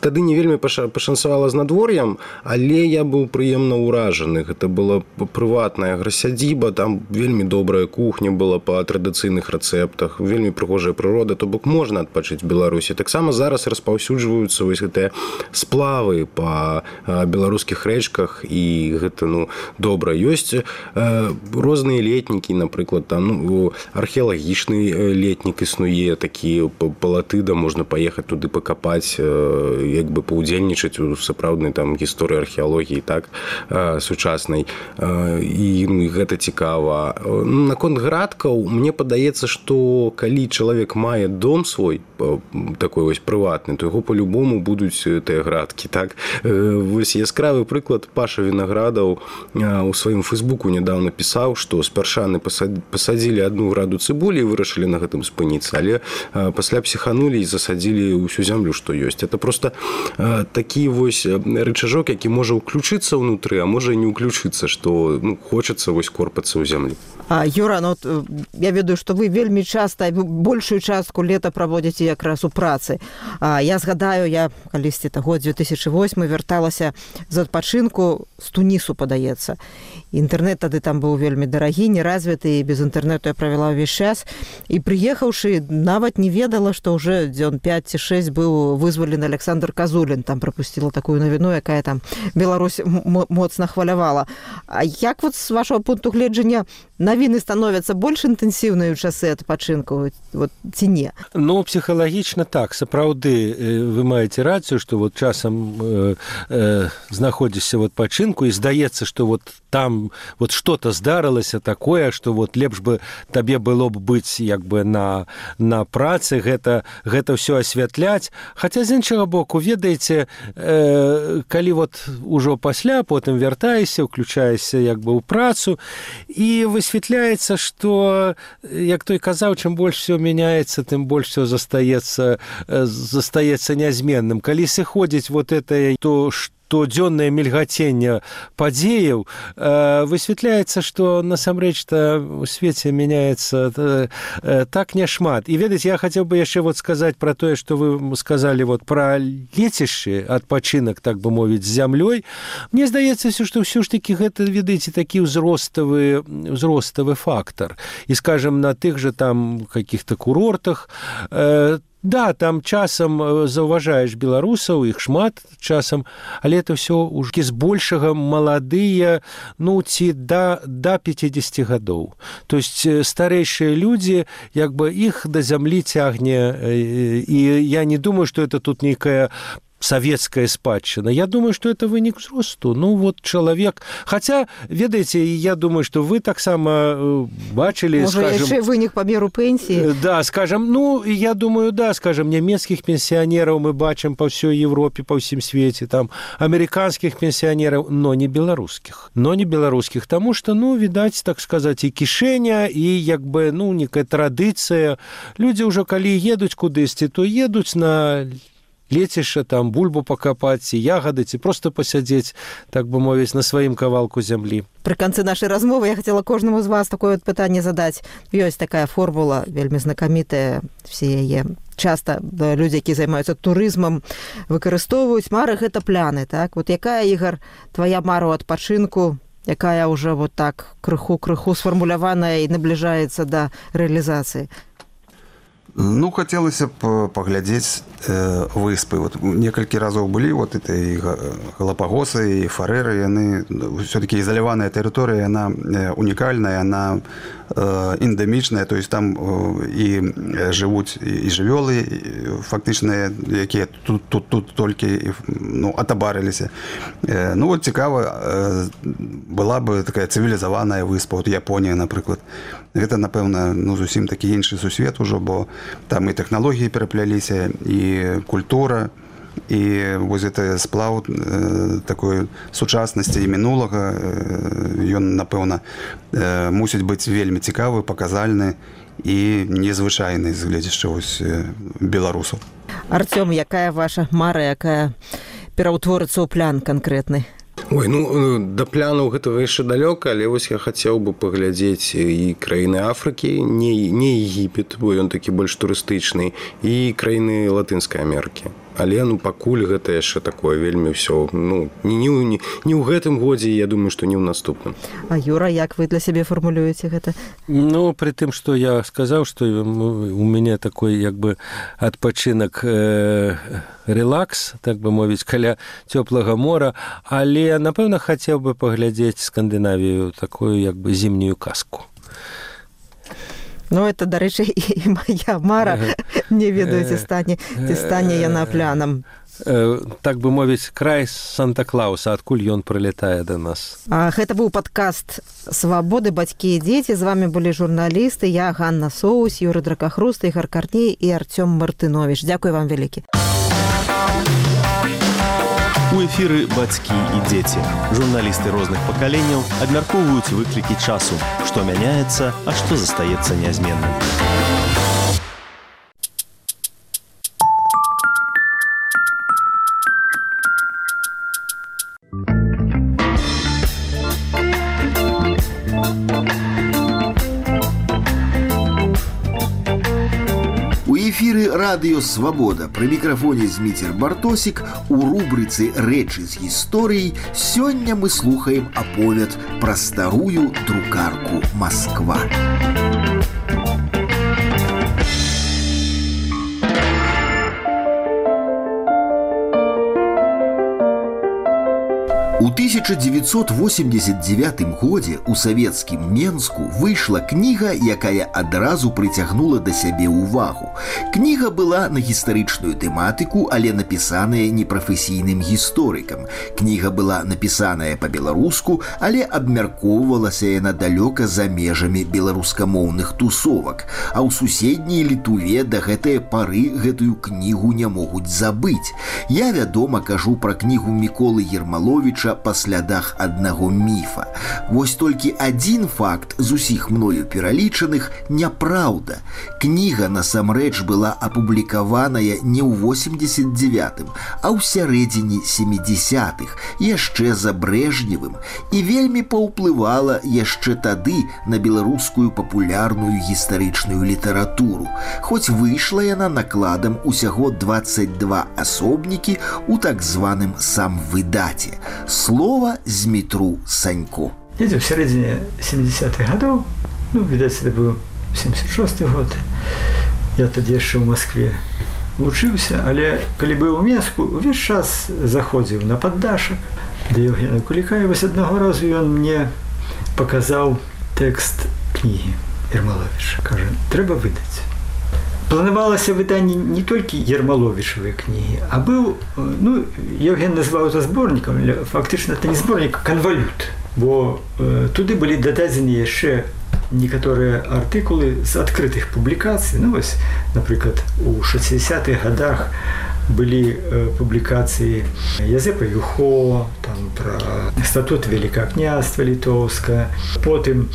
тады не вельмі пашанцавала з надвор'ем, але я быў прыемна ўражаны. Гэта была прыватная аграсядзіба, там вельмі добрая кухня была па традыцыйных рэцэптах, вельмі прыгожая прырода, то бок можна адпачыць в Беларусі. Таксама зараз распаўсюджваюцца вось гэтыя сплавы па беларускіх рэчках, і гэта, ну, добра. Ёсць розныя летнікі, напрыклад, там, ну, археалагічны летнік існуе, такі палатыда, можна паехаць туды пакапаць, як бы паўдзельнічаць у сапраўднай там гісторыі археалогіі, так, сучаснай. І, ну, гэта цікава. Наконт градкаў, мне падаецца, што калі чалавек мае дом свой, такой вось прыватны, то яго по-любому будуць тыя градкі, так. Вось яскравы прыклад: Паша Вінаградаў у сваім фэйсбуку нядаўна пісаў, што спяршаны пасадзілі 1 граду цыбулі і вырашылі на гэтым спыніцца, але пасля псіханулі і засадзілі ўсю зямлю, што ёсць. Это просто такі вось рычажок, які можа ўключыцца ўнутры, а можа і не ўключыцца, што, ну, хочацца вось корпацца ў зямлі. Юра, ну, я ведаю, што вы вельмі часта, большую частку лета праводзіце якраз у працы. Я згадаю, я калісьці год 2008 вярталася з адпачынку з Тунісу, падаецца. Інтэрнэт тады там быў вельмі дарагі, неразвіты, і без інтэрнэту я правяла ўвесь час. І прыехаўшы, нават не ведала, што ўжо дзён 5 ці 6 быў вызвалены Александр Казулін. Там прапусціла такую навіну, якая там Беларусь моцна хвалявала. А як вот з вашого пункту гледжання навіны становяцца больш інтэнсіўныя ў часы адпачынку, вот, ці не? Ну, псіхалагічна так. Сапраўды, вы маеце рацыю, што вот часам знаходзішся в адпачынку, і здаецца, што вот там вот что-то здарылася такое, што вот лепш бы табе было б быць як бы на працы, гэта ўсё асвятляць. Хаця, з іншага боку, ведаеце, калі вот ужо пасля, потым вяртаешся, уключаешся як бы ў працу, і высвятляецца, што, як той казаў, чым больш все мяняецца, тым больш все застаецца нязменным. Калі сыходзіць вот это, то штодзённае мільгаценне падзеяў, высвятляецца, што насамрэч-то у свеце мяняецца так няшмат. І ведаеце, я хацеў бы яшчэ вот сказаць пра тое, што вы сказалі вот пра лецішчы, адпачынак, так бы мовіць, з зямлёй. Мне здаецца, што ўсё ж такі гэта, ведаеце, такі ўзроставы фактор. І, скажем, на тых же там каких-то курортах, да, там часам заўважаеш беларусаў, іх шмат часам, але это ўсё ўжо збольшага маладыя, ну, ці да 50 гадоў. То есть старэйшыя людзі, як бы іх да зямлі цягне, і я не думаю, што это тут нейкая советская спадчына. Я думаю, что это вынік узросту. Ну, вот человек... Хотя, ведаеце, я думаю, что вы таксама бачили, может, скажем... яшчэ вынік па меру пенсии? Да, скажем, ну, я думаю, да, скажем, нямецкіх пенсионеров мы бачым по всей Европе, по всем свете, там, американских пенсионеров, но не белорусских. Тому что, ну, видать, так сказать, и кишэня, и, як бы, ну, некая традыцыя. Люди уже, калі едуць кудысьці, то едуць на... лецішча, там, бульбу пакапаць, ці ягады, ці проста пасядзець, так бы мовіць, на сваім кавалку зямлі. Пры канцы нашай размовы я хацела кожнаму з вас такое вот пытанне задаць. Ёсць такая формула, вельмі знакамітая, все яе часта людзі, які займаюцца турызмам, выкарыстоўваюць. Мары — гэта пляны, так? Вот якая, Ігар, твоя мара ў адпачынку, якая ўжо вот так крыху сфармуляваная і набліжаецца да рэалізацыі? Ну, хотелось бы поглядеть выспы. Вот некалькі разоў былі, вот это и Галапагосы, и Фареры, яны все-таки изолированная территория, она уникальная, она эндемичная, то есть там и живут и жывёлы фактычныя, якія тут толькі, ну, атабарыліся. Ну, вот цікава была бы такая цивилизованная выспа, вот Японія, напрыклад. Гэта, напэўна, ну, зусім такі іншы сусвет ужо, бо там і тэхналогіі перапляліся, і культура, і вось гэта сплаў такой сучаснасці і мінулага, ён, напэўна, мусіць быць вельмі цікавы, паказальны і незвычайны з гледзяча вось беларусаў. Артём, якая ваша мара, якая пераўтворыцца ў плян канкрэтны? Ой, ну, да плянаў гэтага яшчэ далёка, але вось я хацеў бы паглядзець і краіны Афрыкі, не Егіпет, бо ён такі больш турыстычны, і краіны Латынскай Амерыкі. Але, ну, пакуль гэта яшчэ такое вельмі ўсё, ну, не ў гэтым годзе, я думаю, што не ў наступным. А Юра, як вы для сябе фармулюеце гэта? Ну, при тым, што я сказаў, што у мяне такой, як бы, адпачынак релакс, так бы мовіць, каля цёплага мора, але, напэўна, хацеў бы паглядзець Скандынавію, такую, як бы, зімнюю казку. Ну, это, дарэчы, і моя мара, не ведаю, ці стане яна плянам. Так бы мовіць, край Санта-Клауса, адкуль ён прылетае да нас. Гэта быў падкаст «Свабоды, бацькі і дзеці». З вами былі журналісты, я, Ганна Соус, Юры Дракахруст, Ігар Карней і Артём Мартынович. Дзякуй вам вялікі. У эфіры «Бацькі і дзеці». Журналісты розных пакаленняў абмяркоўваюць выклікі часу, што мяняецца, а што застаецца нязменным. Эфіры радыё «Свабода». Пры мікрафоне Зміцер Бартосік. У рубрыцы «Рэчы з гісторыяй» сёння мы слухаем аповед пра старую друкарку «Масква». У 1989 годзе ў савецкім Менску выйшла кніга, якая адразу прыцягнула да сябе ўвагу. Кніга была на гістарычную тэматыку, але напісаная непрафесійным гісторыкам. Кніга была напісаная па-беларуску, але абмяркоўвалася яна далёка за межамі беларускамоўных тусовак. А ў суседняй Літуве да гэтае пары гэтую кнігу не могуць забыць. Я, вядома, кажу пра кнігу Міколы Ермаловіча «Па па слядах аднаго міфа. Вось толькі адзін факт з усіх мною пералічаных няпраўда. Кніга насамрэч была апублікаваная не ў 89-м, а ў сярэдзіне 70-х, яшчэ за Брежневым, і вельмі паўплывала яшчэ тады на беларускую папулярную гістарычную літаратуру, хоць выйшла яна накладам усяго 22 асобнікі ў так званым самвыдаце. Слова Змітру Санько. Недзе в сярэдзіне 70-х гадоў, відаць, это быў 76-й год, я тады яшчэ ў Маскве вучыўся, але калі быў у Менску, увесь час заходзіў на паддашак да Евгена Куліка, і вось аднаго разу ён мне паказаў тэкст кнігі Ермаловіча. Кажа, трэба выдаць. Планавалася выданне не толькі Ермаловічавай кнігі, а быў, Евген назваў это зборнікам, але фактычна это не зборнік, а канвалют, бо туды былі дададзены яшчэ некаторыя артыкулы з адкрытых публікацый. Вось, напрыклад, у 60-х гадах былі публікацыі Язэпа Юхо, там пра статут Великага княства Літоўска, потым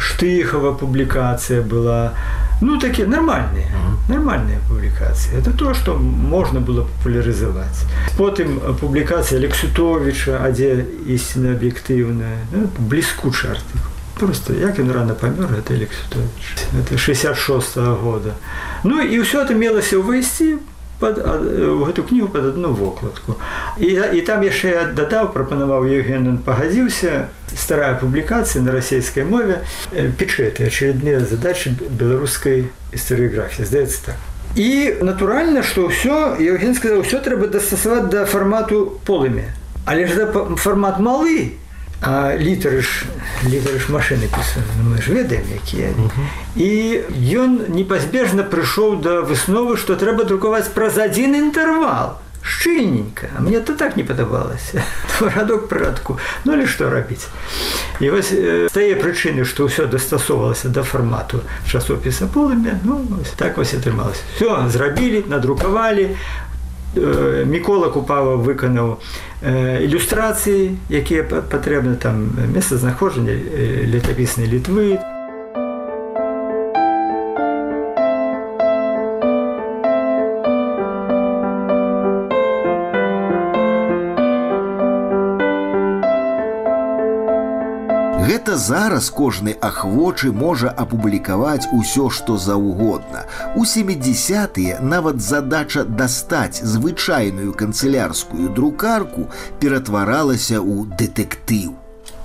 Штыхава публікацыя была. Такие нормальные публикации. Это то, что можно было популяризовать. Потом публикация Алексютовича, а где истинно объективная, блескучий артикул. Просто, як он рано помер, это Алексютович. Это 66-го года. И все это мелося увести в эту книгу под одну вокладку. И там яшчэ я дадаў, прапанаваў Евген, он пагадзіўся, старая публикация на российской мове, печеты, очередные задачи белорусской историографии, здаецца так. И натурально, что все, Евген сказал, все треба дастасаваць до формату полымя. Але ж формат малы, а літары ж машины пісаны, мы ж ведаем, якія. І ён непазбежна прыйшоў да высновы, што трэба друкаваць праз адзін інтэрвал. Шчыльненько. А мне это так не падабалася. Радок пры радку. Але што рабіць? І вось з тае прычыны, што ўсё дастасоўвалася да фармату часопіса полымя, так вось атрымалася. Всё зрабілі, надрукавалі. Мікола Купава выканаў ілюстрацыі, якія патрэбны, там месцазнаходжанне летапіснай Літвы. Гэта зараз кожны ахвочы можа апублікаваць усё, што заўгодна. У 70-тыя нават задача дастаць звычайную канцылярскую друкарку ператваралася ў дэтэктыў.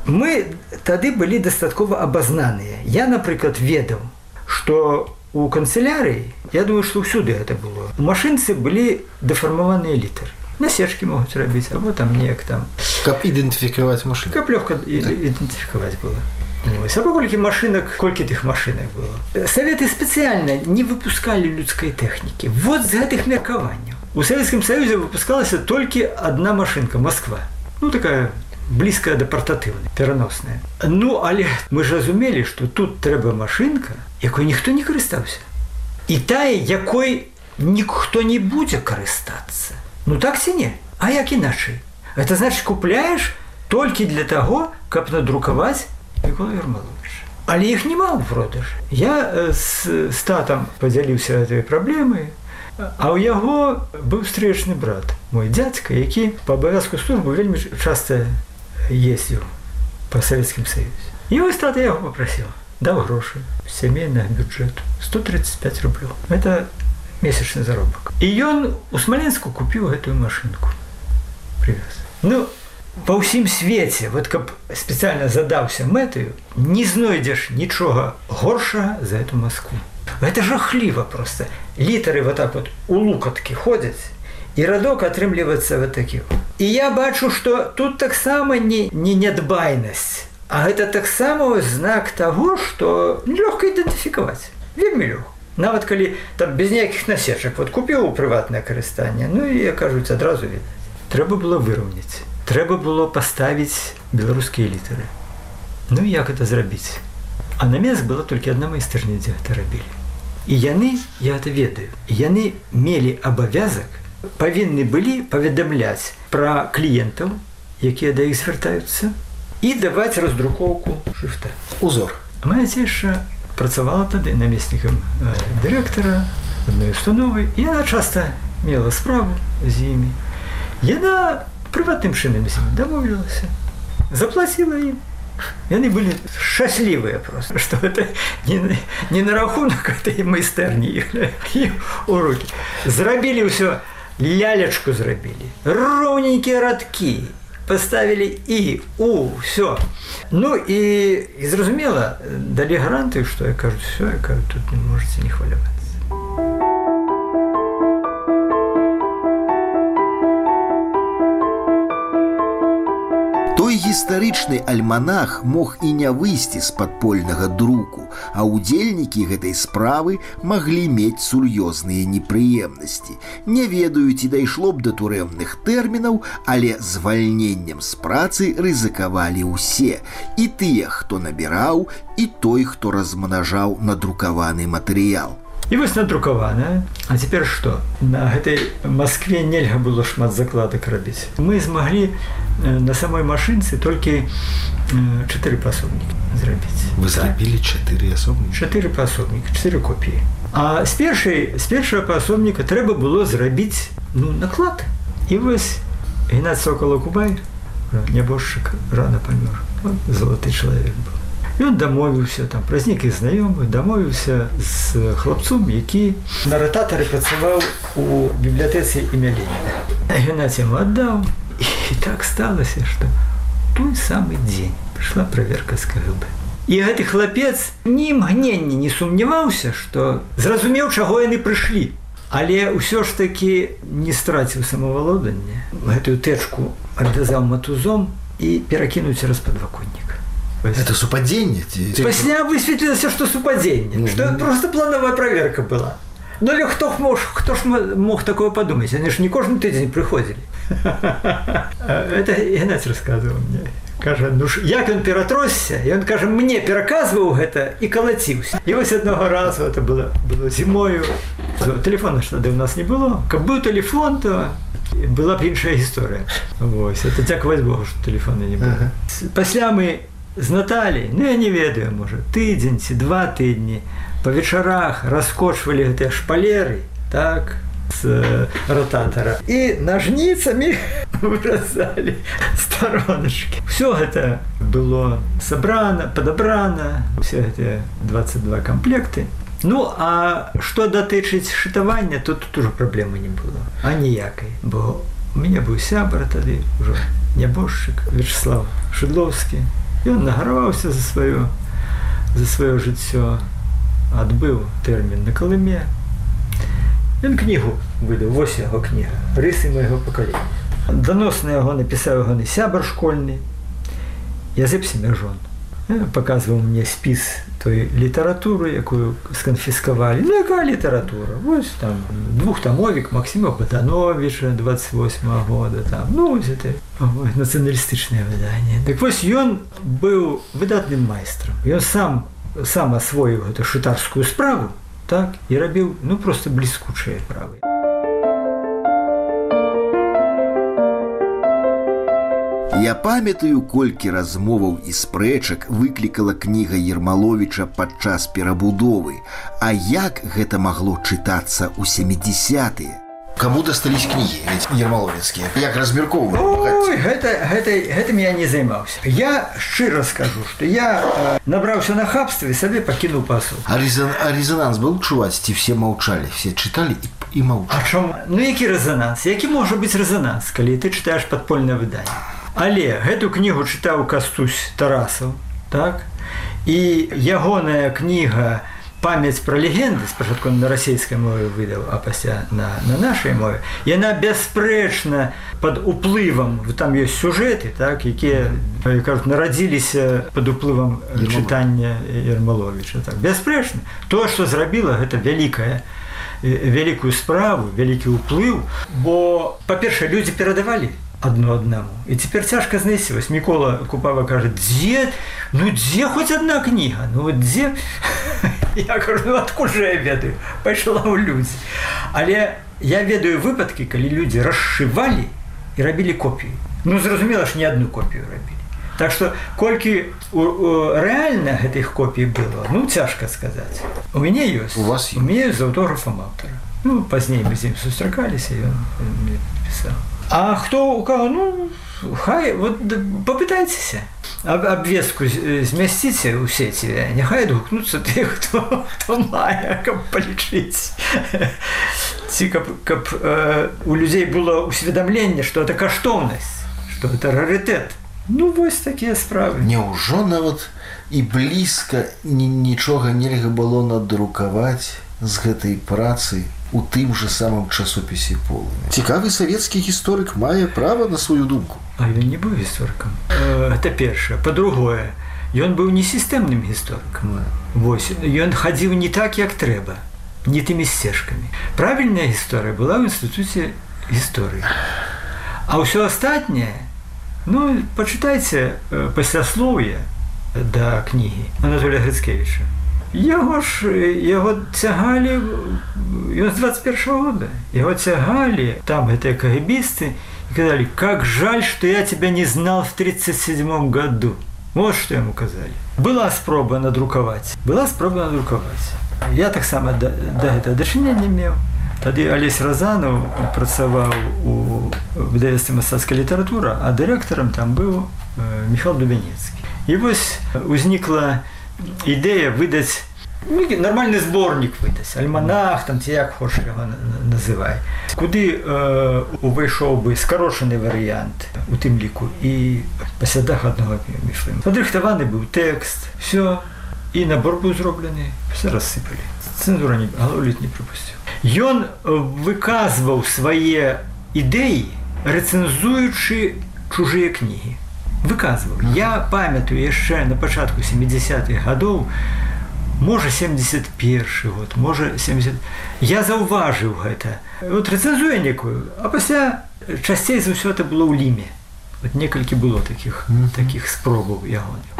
Мы тады былі дастаткова абазнаныя. Я, напрыклад, ведаў, што у канцылярыі, я думаю, што ўсюды гэта было, у машынцы былі дэфармаваныя літары. Насечки могуць рабіць, або там неяк там. Каб ідэнтыфікаваць машыну. Каб лёгка ідэнтыфікаваць было. Або колькі тых машынак было. Саветы спецыяльна не выпускалі людскай тэхнікі. Вот з гэтых меркаванняў. У Савецкім Саюзе выпускалася толькі адна машынка, Москва. Такая блізкая да партатыўнай, пераносная. Але мы ж разумелі, што тут трэба машынка, якой ніхто не карыстаўся. І тая, якой ніхто не будзе карыстацца. Так ці не? А як іначай? Это значит, купляешь только для того, каб надрукаваць Мікола Ермаловіча. Але іх няма ў продажы. Я з татам падзяліўся гэтай праблемай, а ў яго быў стрэчны брат, мой дзядзька, які па абавязку службы вельмі часта ездзіў па Савецкім Саюзе. І вось тата яго папрасіў, даў грошы сямейнага бюджэту 135 рублёў. Это месячны заробак. І ён у Смаленску купіў гэтую машынку. Привез. Па ўсім свеце, каб спецыяльна задаўся мэтаю, не знойдзеш нічога горшага за эту Москву. Гэта жахліва проста. Літары у лукаткі ходзяць, і радок атрымліваецца такі. І я бачу, што тут таксама не нядбайнасць, а гэта таксама знак таго, што лёгка ідэнтыфікаваць. Вельмі лёгка. Нават калі там без ніякіх насечак, купіў у прыватнае карыстанне, і, кажуць, адразу відаць. Трэба было выраўняць. Трэба было паставіць беларускія літары. Як гэта зрабіць? А на месц была толькі адна майстэрня, дзе гэта рабілі. І яны, я гэта ведаю, яны мелі абавязак, павінны былі паведамляць пра кліентаў, якія да іх звяртаюцца, і даваць раздрукоўку шрыфта. Узор. Моя цеша працавала тады намеснікам дырэктара адной установы, і яна часта мела справу з імі. Яна прыватным чынам з імі дамовілася, заплаціла ім. Яны былі шчаслівыя просто, што гэта не на рахунак этой майстэрні іх у рукі. Зрабілі ўсё, лялечку зрабілі, роўненькія радкі, поставили и, все. Ну и зразумела, дали гарантию, что я кажу, все, я кажу, тут не можете не хваляваться. Той гістарычны альманах мог і не выйсці з падпольнага друку, а ўдзельнікі гэтай справы маглі мець сур'ёзныя непрыемнасці. Не ведаю, ці дайшло б да турэмных тэрмінаў, але звальненнем з працы рызыкавалі ўсе. І тыя, хто набіраў, і той, хто размнажаў надрукаваны матэрыял. І вось надрукавана. А цяпер што? На гэтай Маскве нельга было шмат закладак рабіць. Мы змаглі на самой машынцы толькі 4 пасобнікі зрабіць. Вы зрабілі 4 асобнікі? 4 пасобнікі, 4 копіі. А з першага пасобніка трэба было зрабіць наклад. І вось Геннадзь Сокала-Кубай, нябожчык, рана памёр. Залаты чалавек быў. Ён дамовіўся, там, праз нейкіх знаёмых, дамовіўся з хлапцом, які на рататары працаваў у бібліятэцы імя Леніна. Геннадзь яму аддаў, і так сталася, што той самы дзень прыйшла праверка з КГБ. І гэты хлапец ні імгнення не сумняваўся, што зразумеў, чаго яны прыйшлі. Але ўсё ж такі не страціў самавалоданне. Гэтую тэчку адвязаў матузом і перакінуў цераз падваконнік. Это супадзенне? Пасля высветлілася, што супадзенне, што просто плановая праверка была. Ну, але хто ж мог такое падумаць? Яны ж не кожны тыдзень прыходзілі. Это Геннадзь расказваў мне. Кажа, як ён ператросся, і ён, кажа, мне пераказваў гэта і калаціўся. І вось аднаго разу, это было зімою, тэлефона ж тады ў нас не было. Каб быў тэлефон, то была б іншая гісторыя. Вось, это дзякаваць Богу, што тэлефона не было. Пасля мы з Наталій, я не ведаю, можа, тыдзень ці 2 тыдні па вечарах раскочвалі гэтыя шпалеры, так, з рататара. І нажніцамі выразалі староначкі. Усё гэта было сабрана, падабрана, усе гэтыя 22 камплекты. Ну, а што датычыць шытавання, то тут ужо праблемы не было. А ніякай, бо у мяне быў сябар тады, ужо нябожчык Вячеслав Шыдлоўскі. Ён нагараваўся за сваё жыццё, адбыў тэрмін на Калыме. Ён кнігу выдаў, вось яго кніга, «Рысы майго пакалення». Даносна яго напісаў ягоны сябар школьны, Язэп Семяжон. Паказваў мне спіс той літаратуры, якую сканфіскавалі. Ну, якая літаратура? Вось там двухтамовік Максіма Богдановича 28-го года. Там, вось это нацыяналістычнае выданне. Так вось ён быў выдатным майстрам. Ён сам асвоіў гэту шытарскую справу, так, і рабіў, проста бліскучыя справы. Я памятаю, колькі размоваў і спрэчак выклікала кніга Ермаловіча падчас перабудовы. А як гэта магло чытацца ў 70-е? Каму дастались кнігі ермаловіцкія? Як размяркоўвалі? Ой, гэтым я не займаўся. Я шчыра скажу, што я набраўся на хабства і сабе пакінуў пасу. А резонанс быў чуваць, ці все маўчалі, все чыталі і маўчалі? А чому? Які резонанс? Які можа быць резонанс, калі ты чытаеш падпольнае выданне? Але гэту кнігу чытаў Кастусь Тарасаў, так? І ягоная кніга «Памяць пра легенды», спачатку на расійскай мове выдаў, а пасля на нашай мове, яна бясспрэчна пад уплывам, там ёсць сюжэты, так, якія, кажуць, нарадзіліся пад уплывам чытання Ермаловіча. Так. Бясспрэчна. Тое, што зрабіла, гэта вялікую справу, вялікі ўплыў, бо, па-першае, людзі перадавалі адно аднаму. І цяпер цяжка знайсці. Вось Мікола Купава кажа, дзе хоць адна кніга? Дзе? Я кажу, адкуль жа я ведаю? Пайшла ў людзі. Але я ведаю выпадкі, калі людзі расшывалі і рабілі копіі. Ну, зразумела ж, не одну копію рабілі. Так што, колькі рэальна гэтых копій было, ну, цяжка сказаць. У мяне ёсць. У вас ёсць? У мяне з аўтографам аўтара. Ну, пазней мы з ім сустракаліся, ён мне пісаў. А хто у каго? Ну, хай, вот попытайцеся. Абвестку змясціце ў сеці, няхай адгукнуцца тых, хто мае, каб палічыць. Ці каб у людзей было ўсведамленне, што гэта каштоўнасць, што гэта рарытэт. Ну, вось такія справы. Няўжо нават і блізка нічога нельга было надрукаваць з гэтай працы у тым жа самым часопісе «Полымя»? Цікавы савецкі гісторык мае права на сваю думку. А ён не быў гісторыкам. Гэта першае. Па-другое, ён быў не сістэмным гісторыкам. Вось, ён хадзіў не так, як трэба, не тымі сцежкамі. Правільная гісторыя была ў інстытуце гісторыі. А ўсё астатняе, ну, пачытайце пасляслоўе да кнігі Анатолія Грыцкевіча. Яго цягалі, ён з 21-го года, яго цягалі, там гэтыя кагебісты, и сказали, как жаль, что я тебя не знал в 1937 году. Вот что ему сказали. Была спроба надруковать. Я так само до этого дачынення не меў. Тады Алесь Разанов працаваў у выдавецтве «Мастацкая літаратура», а дырэктарам там быў Михаил Дубянецкі. І вось узнікла ідэя выдаць, нормальны зборнік выдаць, альманах, там ці як хочаш яго называй. Куды увайшоў бы скарочаны варыянт у тым ліку і па слядах аднаго міфлыму. Падрыхтаваны быў тэкст, все, і набор быў зроблены, все рассыпалі. Цэнзура галоўліт не прыпусціў. Ён выказваў свае ідэі, рэцэнзуючы чужыя кнігі. Выказваў. Я памятаю яшчэ на пачатку 70-х гадоў, можа 71 год, можа 70... Я заўважыў гэта. Вот рэцэнзуе некую, а пасля часцей за ўсё это было ў Ліме. Вот некалькі было такіх спробаў ягоных.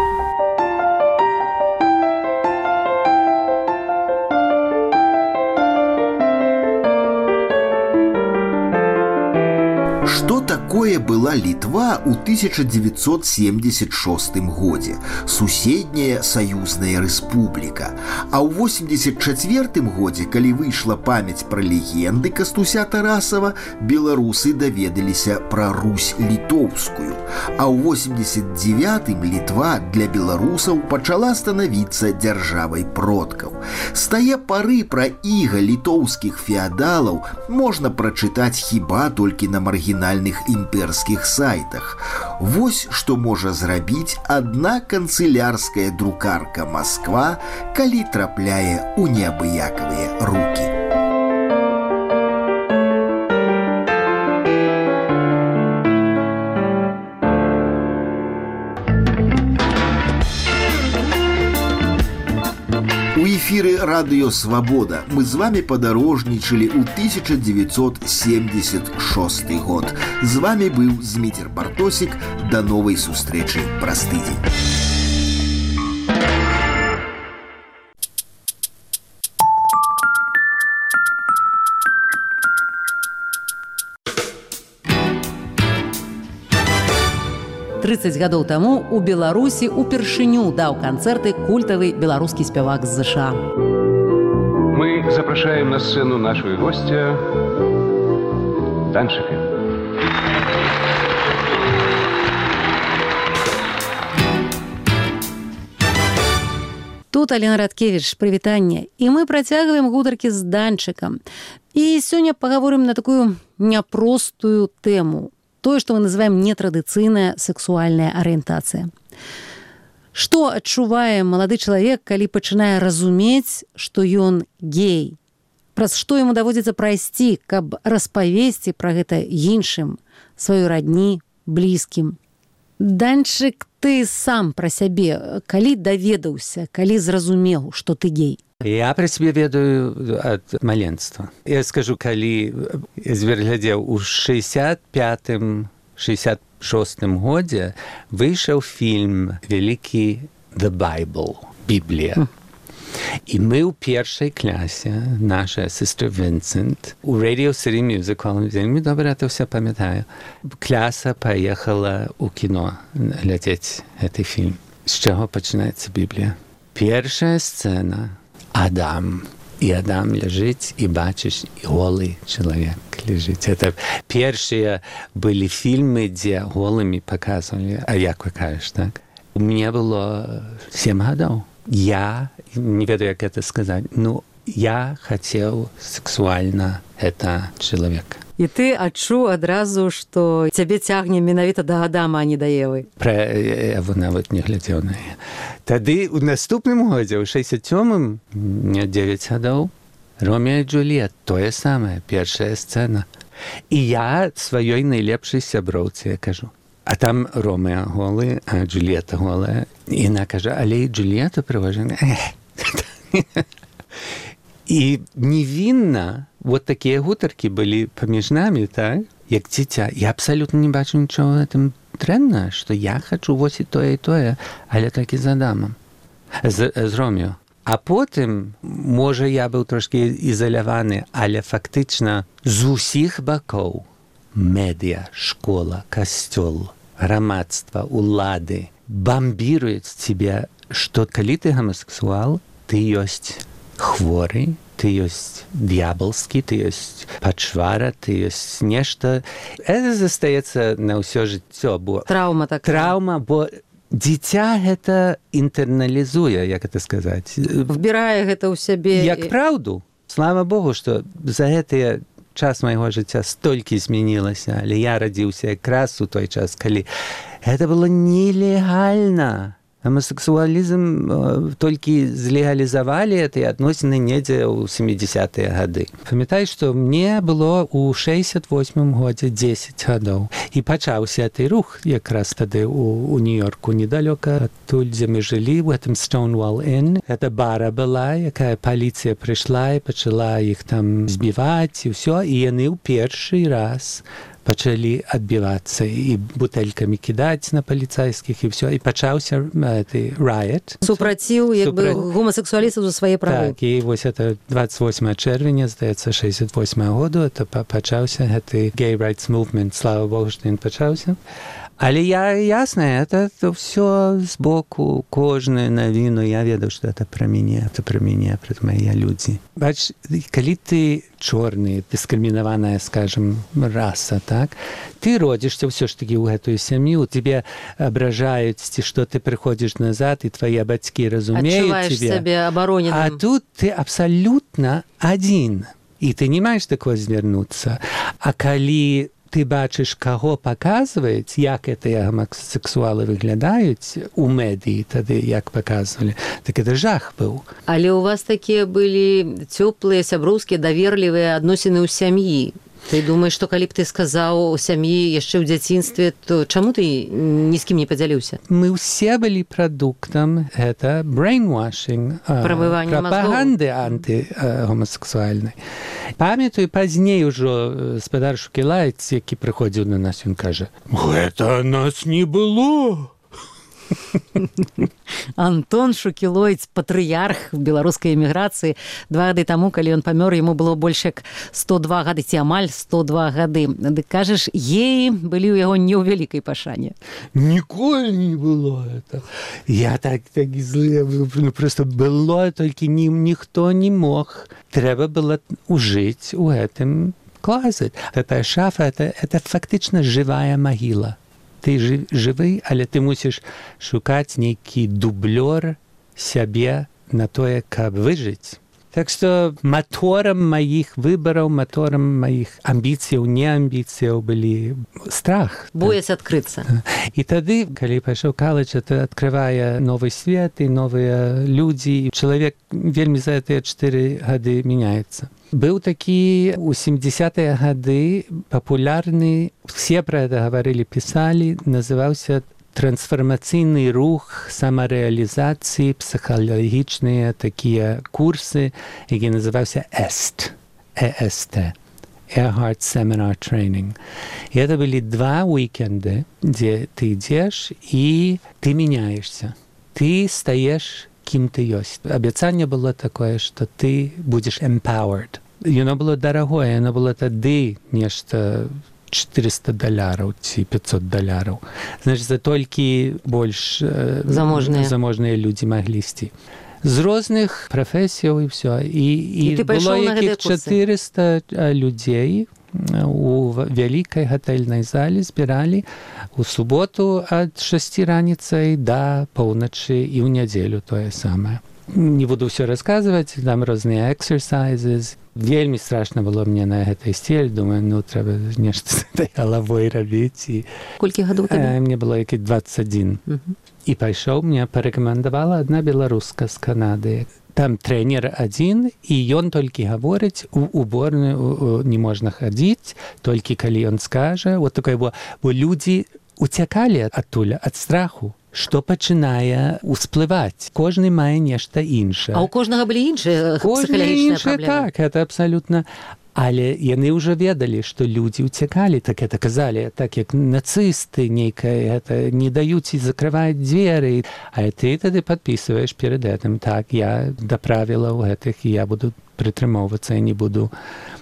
Што такое была Літва ў 1976 годзе? Суседняя саюзная рэспубліка. А ў 84 годзе, калі выйшла памяць пра легенды Кастуся Тарасава, беларусы даведаліся пра Русь літоўскую. А ў 89-м Літва для беларусаў пачала станавіцца дзяржавай продкаў. З тае пары пра іга літоўскіх феадалаў можна прачытаць хіба толькі на маргінальных імперскіх сайтах. Вось што можа зрабіць адна канцылярская друкарка Масква, калі трапляе ў неабыякавыя рукі. У эфіры радыё «Свабода» мы з вами падарожнічалі ў 1976 год. З вами быў Зміцер Бартосік. Да новай сустрэчы праз тыдзень. «30 гадоў таму у Беларусі упершыню даў канцэрты культавы беларускі спявак з ЗША. Мы запрашаем на сцену нашего гостя Данчика. Тут Алена Радкевіч, прывітанне. І мы працягваем гутаркі з Данчыкам. І сёння пагаворым на такую няпростую тэму. Тое, што мы называем нетрадыцыйная сексуальная арыентацыя. Што адчувае малады чалавек, калі пачынае разумець, што ён гей? Праз што яму даводзіцца прайсці, каб распавесці пра гэта іншым, сваёй радні, блізкім? Данчык, ты сам пра сябе, калі даведаўся, калі зразумеў, што ты гей? Я пра сябе ведаю ад маленства. Я скажу, калі зверглядзеў у 65-66 годзе выйшаў фільм вялікі «The Bible» – «Біблія». І ми ў першай клясе, наша сестра Вінсент, у Radio City Music Hall, вельмі добра это все памятаю, кляса поехала у кіно глядзець гэты фільм. З чаго пачынаецца Біблія? Першая сцэна – Адам. И Адам лежит, и бачишь, и голый человек лежит. Это первые были фильмы, где голыми показывали, а як вы кажешь, так? Мне было 7 годов. Я, не ведаю, как это сказать, но я хотел сексуально это человека. І ты адчуў адразу, што цябе цягне менавіта да Адама, а не да Евы. Пра Еву нават не глядзеў на яе. Тады ў наступным годзе, ў 67-м, мне 9 гадоў, Ромео і Джульет, тое самае, першая сцэна. І я сваёй найлепшай сяброўцы кажу. А там Ромео голы, а Джульета голая. І яна кажа, але і Джульета прыважана. І невінна вот такія гутаркі былі паміж намі, так? Як дзіця. Я абсалютна не бачу нічого в этом дрэнна, што я хачу вось і тое, але толькі з Адамом, з Ромео. А потым, можа, я быў трошкі ізаляваны, але фактычна з усіх бакоў медыа, школа, касцёл, грамадства, улады бамбіруюць цябе, што калі ты гомасексуал, ты ёсць хворы, ты ёсць д'ябалскі, ты ёсць пачвара, ты ёсць нешта. Это застаецца на ўсё жыццё, бо траўма такая. Траўма, бо дзіця гэта інтэрналізуе, як это сказаць. Вбірае гэта ў сябе. Як праўду. Слава Богу, што за гэтыя час майго жыцця столькі змянілася, але я радзіўся якраз у той час, калі гэта было нелегальна. Гомасексуалізм толькі злегалізавалі гэтыя адносіны недзе ў 70-е гады. Памятаю, што мне было ў 68-м годзе 10 гадоў. І пачаўся гэты рух якраз тады у Нью-Йорку, недалёка адтуль, дзе мы жылі, у гэтым Stonewall Inn. Гэта бара была, якая паліцыя прыйшла і пачала іх там збіваць і ўсё. І яны ў першы раз пачалі адбівацца і бутэлькамі кідаць на паліцайскіх і ўсё. І пачаўся гэты riot. Супраціў, як бы, гомасексуалістаў за свае правы. Так, і вось это 28 чэрвеня, здаецца, 68 году, это пачаўся гэты gay rights movement. Слава Богу, што ён пачаўся. Але ясна, это ўсё збоку, кожную навіну, я ведаў, што это пра мяне, пра мае людзі. Бач, калі ты чорны, дыскрымінаваная, скажем, раса, так, ты родзішся ўсё ж такі ў гэтую сям'ю, тебе абражаюць, ці што ты прыходзіш назад, і твае бацькі разумеюць тебе. Адчуваеш сябе абароненым. А тут ты абсалютна адзін, і ты не маеш такое звярнуцца. А калі ты бачыш, каго паказваюць, як гэтыя гомасексуалы выглядаюць у медыі тады, як паказвалі, так это жах быў. Але ў вас такія былі цёплыя, сяброўскія, даверлівыя адносіны ў сям'і. Ты думаеш, што калі б ты сказаў у сям'і яшчэ ў дзяцінстве, то чаму ты ні з кім не падзяліўся? Мы ўсе былі прадуктам гэта brainwashing, прапаганды антыгомасексуальнай. Памятаю, пазней ужо спадар Шукілайц, які прыходзіў на нас, ён кажа: «Гэта нас не было». Антон Шукілойц, патрыярх беларускай эміграцыі. 2 гады таму, калі ён памёр, яму было больш як 102 гады, ці амаль 102 гады. Дык кажаш, геі былі ў яго не ў вялікай пашане. Ніколі не было это. Я так злы, просто было, толькі ніхто не мог. Трэба было ужыць у гэтым клазет. Гэтая шафа, это фактычна жывая магіла. Ты жывы, але ты мусіш шукаць нейкі дублёр сябе на тое, каб выжыць. Так што маторам маіх выбараў, маторам маіх амбіцыяў, неамбіцыяў былі страх. Боясь адкрыцца. І тады, калі пайшоў каледж, это адкрывае новы свет і новыя людзі. Чалавек вельмі за гэтыя 4 гады мяняецца. Быў такі ў 70-е гады папулярны, все пра гэта гаварылі, пісалі, называўся трансфармацыйны рух самарэалізацыі, псіхалагічныя такія курсы, які называўся EST, Earhart Seminar Training. І гэта былі 2 уікенды, дзе ты ідзеш і ты мяняешься. Ты стаеш кім ты ёсць. Абяцанне было такое, што ты будзеш empowered. Яно было дарагое, яно было тады нешта $400 ці $500. Значит, за толькі больш заможныя людзі маглі ісці. З розных прафесіяў і ўсё. І было якіх 400 людзей у вялікай гатэльнай зале збіралі у суботу ад 6 раніцай да паўначы і ў нядзелю тое самае. Не буду ўсё расказваць, там розныя exercises. Вельмі страшна было мне на гэтай сцель. Думаю, трэба нешта з гэтай галавой рабіць. Колькі гадоў табе? Мне было які 21. І пайшоў, мне парэкамендавала адна беларуска з Канады. Там трэнер адзін, і ён толькі гаворыць, у уборную не можна хадзіць, толькі калі ён скажа. Вот такое, бо людзі уцякалі адтуль, ад страху, што пачынае ўсплываць. Кожны мае нешта іншае. А ў кожнага былі іншыя псіхалагічныя праблемы? Так, это абсалютна. Але яны ўжо ведалі, што людзі ўцякалі, так это казалі, так як нацысты нейкае, не даюць і закрываюць дзверы. А ты тады падпісваеш перед гэтым, так, я да правілаў гэтых, і я буду прытрымоўвацца, я не буду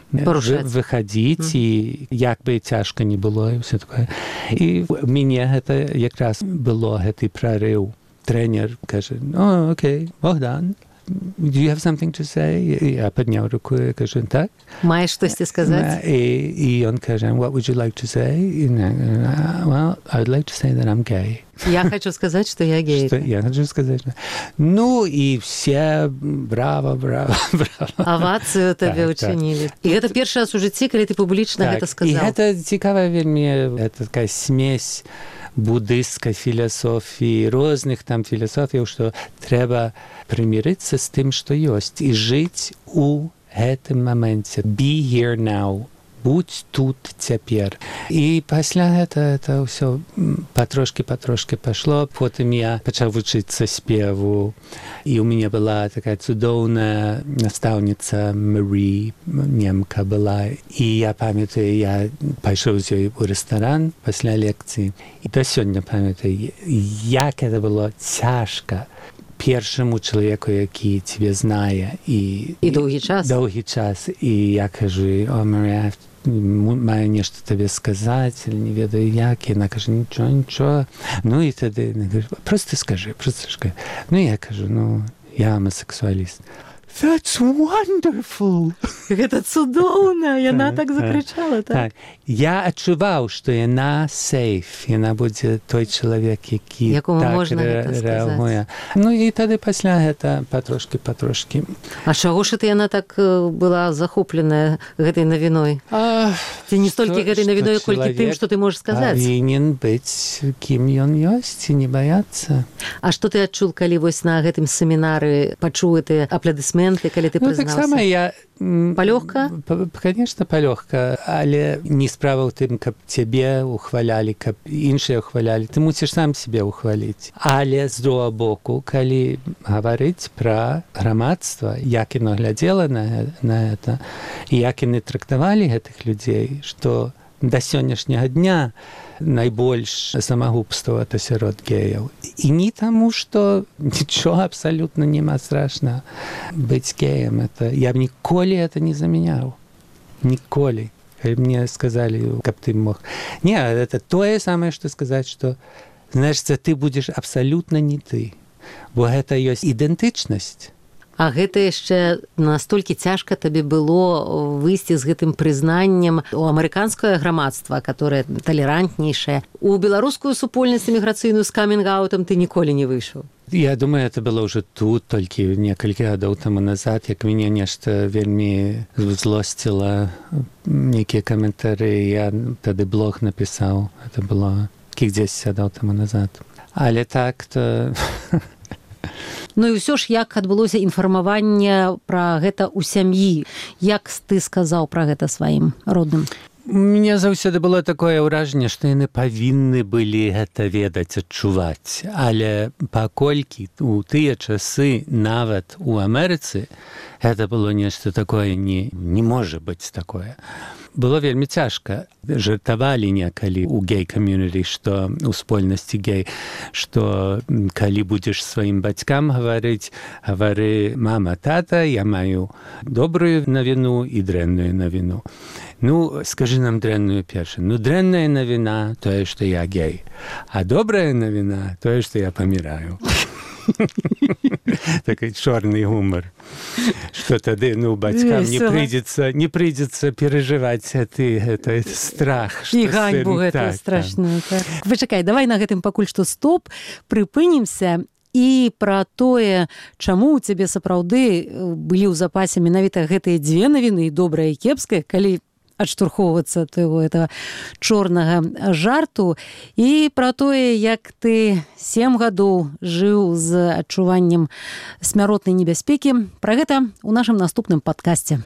выхадзіць, і як бы цяжка не было, і ўсё такое. І ў мяне гэта якраз было гэты прарыў. Трэнер кажа, окей, Богдан, do you have something to say? Я падняў руку і кажу, так. Маеш штосьці сказаць? І ён кажа, what would you like to say? Well, I would like to say that I'm gay. Я хочу сказаць, што я гей. Я хочу сказаць. І все браво. Авацыю табе ўчынілі. І гэта першы раз у жыцці, калі ты публічна гэта сказаў. І гэта цікавая вельмі, гэта такая смесь буддысцкай філасофіі, розных там філасофіяў, што трэба прымірыцца з тым, што ёсць, і жыць у гэтым моменце. Be here now. Будь тут цяпер. І пасля гэта ўсё патрошкі пайшло. Потым я пачаў вучыцца спеву. І у мяне была такая цудоўная настаўніца Марі, немка была. І я памятаю, я пайшоў з ёй у рэстаран пасля лекцыі. І да сёння памятаю, як гэта было цяжка першаму чалавеку, які цябе знае. І доўгі час. І я кажу, Марі, маю нешта табе сказаць, але не ведаю як. Яна кажа, нічого. І тады просто скажи. Я кажу, я гомосексуаліст. That's wonderful! Гэта цудоўна! Яна так закрычала, так? Я адчуваў, што яна safe, яна будзе той чалавек, які так рэагуе. І тады пасля гэта патрошкі. А чаго ж яна так была захопленая гэтай навіной? Ці не столькі гэтай навіной, колькі тым, што ты можаш сказаць? Павінен быць, кім ён ёсць, і не баяцца. А што ты адчуў, калі вось на гэтым семінары пачуў гэтыя апладысменты, калі ты прызнаўся? Так сама я... Палёгка? Конечно, палёгка, але не справа ў тым, каб цябе ухвалялі, каб іншыя ухвалялі. Ты мусіш сам себе ухваліць. Але з другого боку, калі гаварыць пра грамадства, як яно глядзела на гэта, і як яны трактавалі гэтых людзей, што да сённяшняга дня найбольш самагубства это сярод геяў. І не таму, што нічога абсалютна няма страшна быць геем. Я б ніколі это не заменяў. Ніколі. Калі мне сказалі, каб ты мог. Не, это тое самае, што сказаць, што, знаеш, ты будзеш абсалютна не ты. Бо гэта ёсць ідэнтычнасць. А гэта яшчэ настолькі цяжка табе было выйсці з гэтым прызнаннем у амерыканскае грамадства, которое талерантнейшае. У беларускую супольнасць эміграцыйную з камінг-аутам ты ніколі не выйшаў. Я думаю, это было ўжо тут, толькі некалькі гадоў таму назад, як мяне нешта вельмі злосціла, нейкія каментары, я тады блог напісаў. Это было кілька 10 гадоў таму назад. Але так-то... І ўсё ж, як адбылося інфармаванне пра гэта ў сям'і? Як ты сказаў пра гэта сваім родным? У мяне заўсёды было такое ўражанне, што яны павінны былі гэта ведаць, адчуваць. Але паколькі у тыя часы, нават у Амерыцы, гэта было нешта такое, не можа быць такое. было вельмі цяжка. Жартавалі некалі ў гей-камьюніті, што ў спольнасці гей, што калі будзеш сваім бацькам гаварыць, гавары: мама, тата, я маю добрую навіну і дрэнную навіну. Ну, скажы нам дрэнную першую. Ну, дрэнная навіна тое, што я гей, а добрая навіна тое, што я паміраю. Такой чорный гумор, что тогда, бацькам не придется переживать это страх. И ганьбу гэта страшную. Вычакай, давай на гэтым пакуль што стоп, прыпынімся і пра тое, чаму ў цябе сапраўды былі ў запасе менавіта гэтыя дзве навіны, добрая і кепская, калі адштурхоўвацца твайго этого чорнага жарту, і пра тое, як ты 7 гадоў жыў з адчуваннем смяротнай небяспекі. Пра гэта ў нашым наступным падкасце.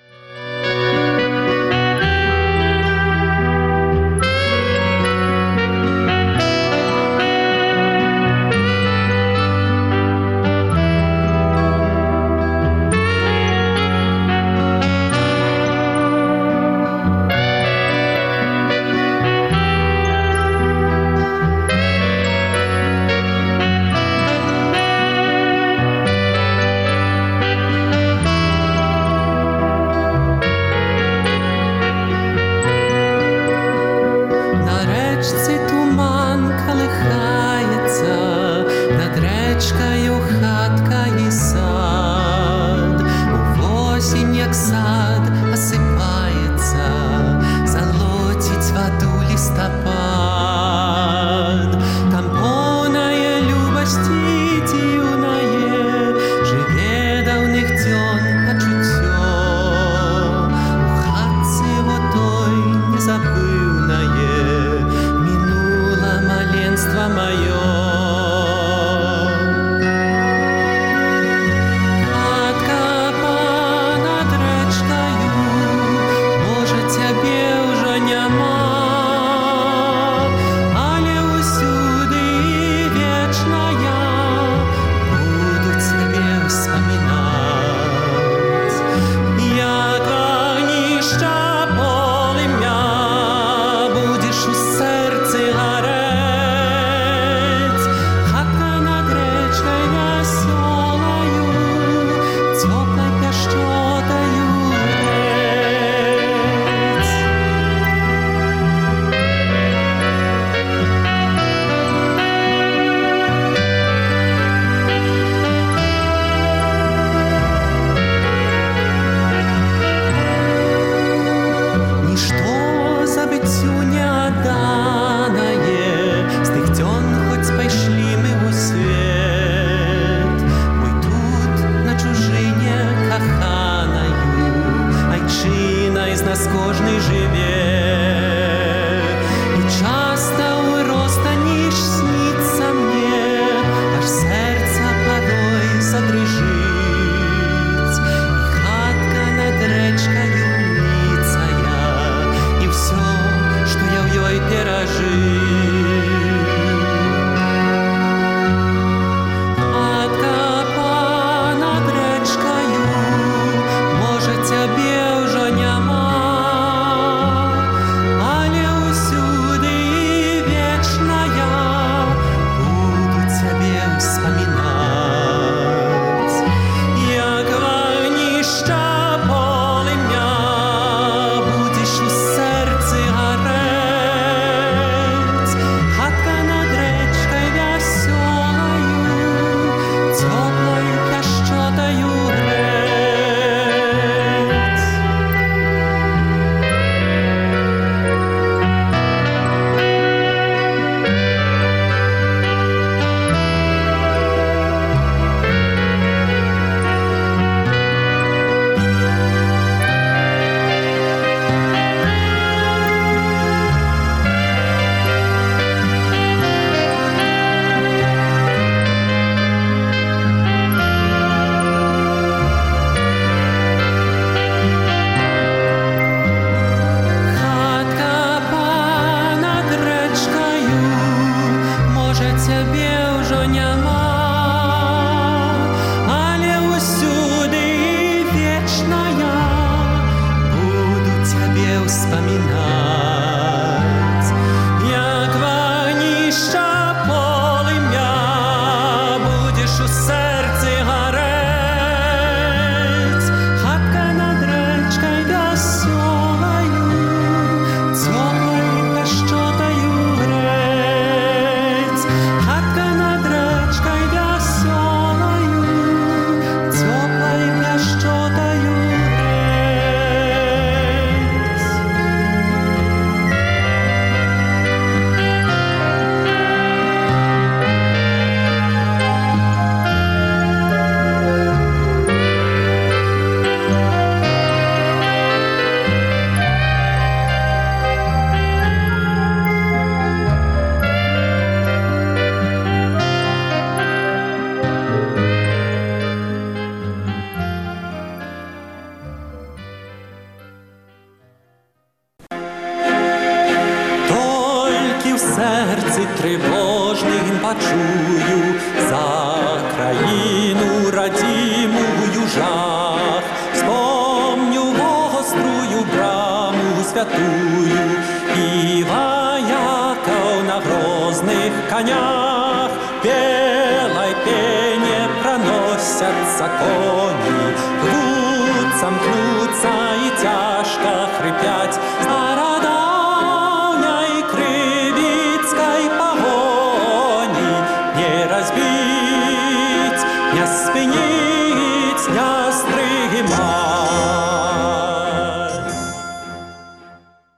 Вспоминать. сердці тривожним почую за країну радімую жах. Вспомню гострую браму святую і вояков на грозних конях. Белой пене проносятся кони, рвутся, мкнутся и тяжко хрипять.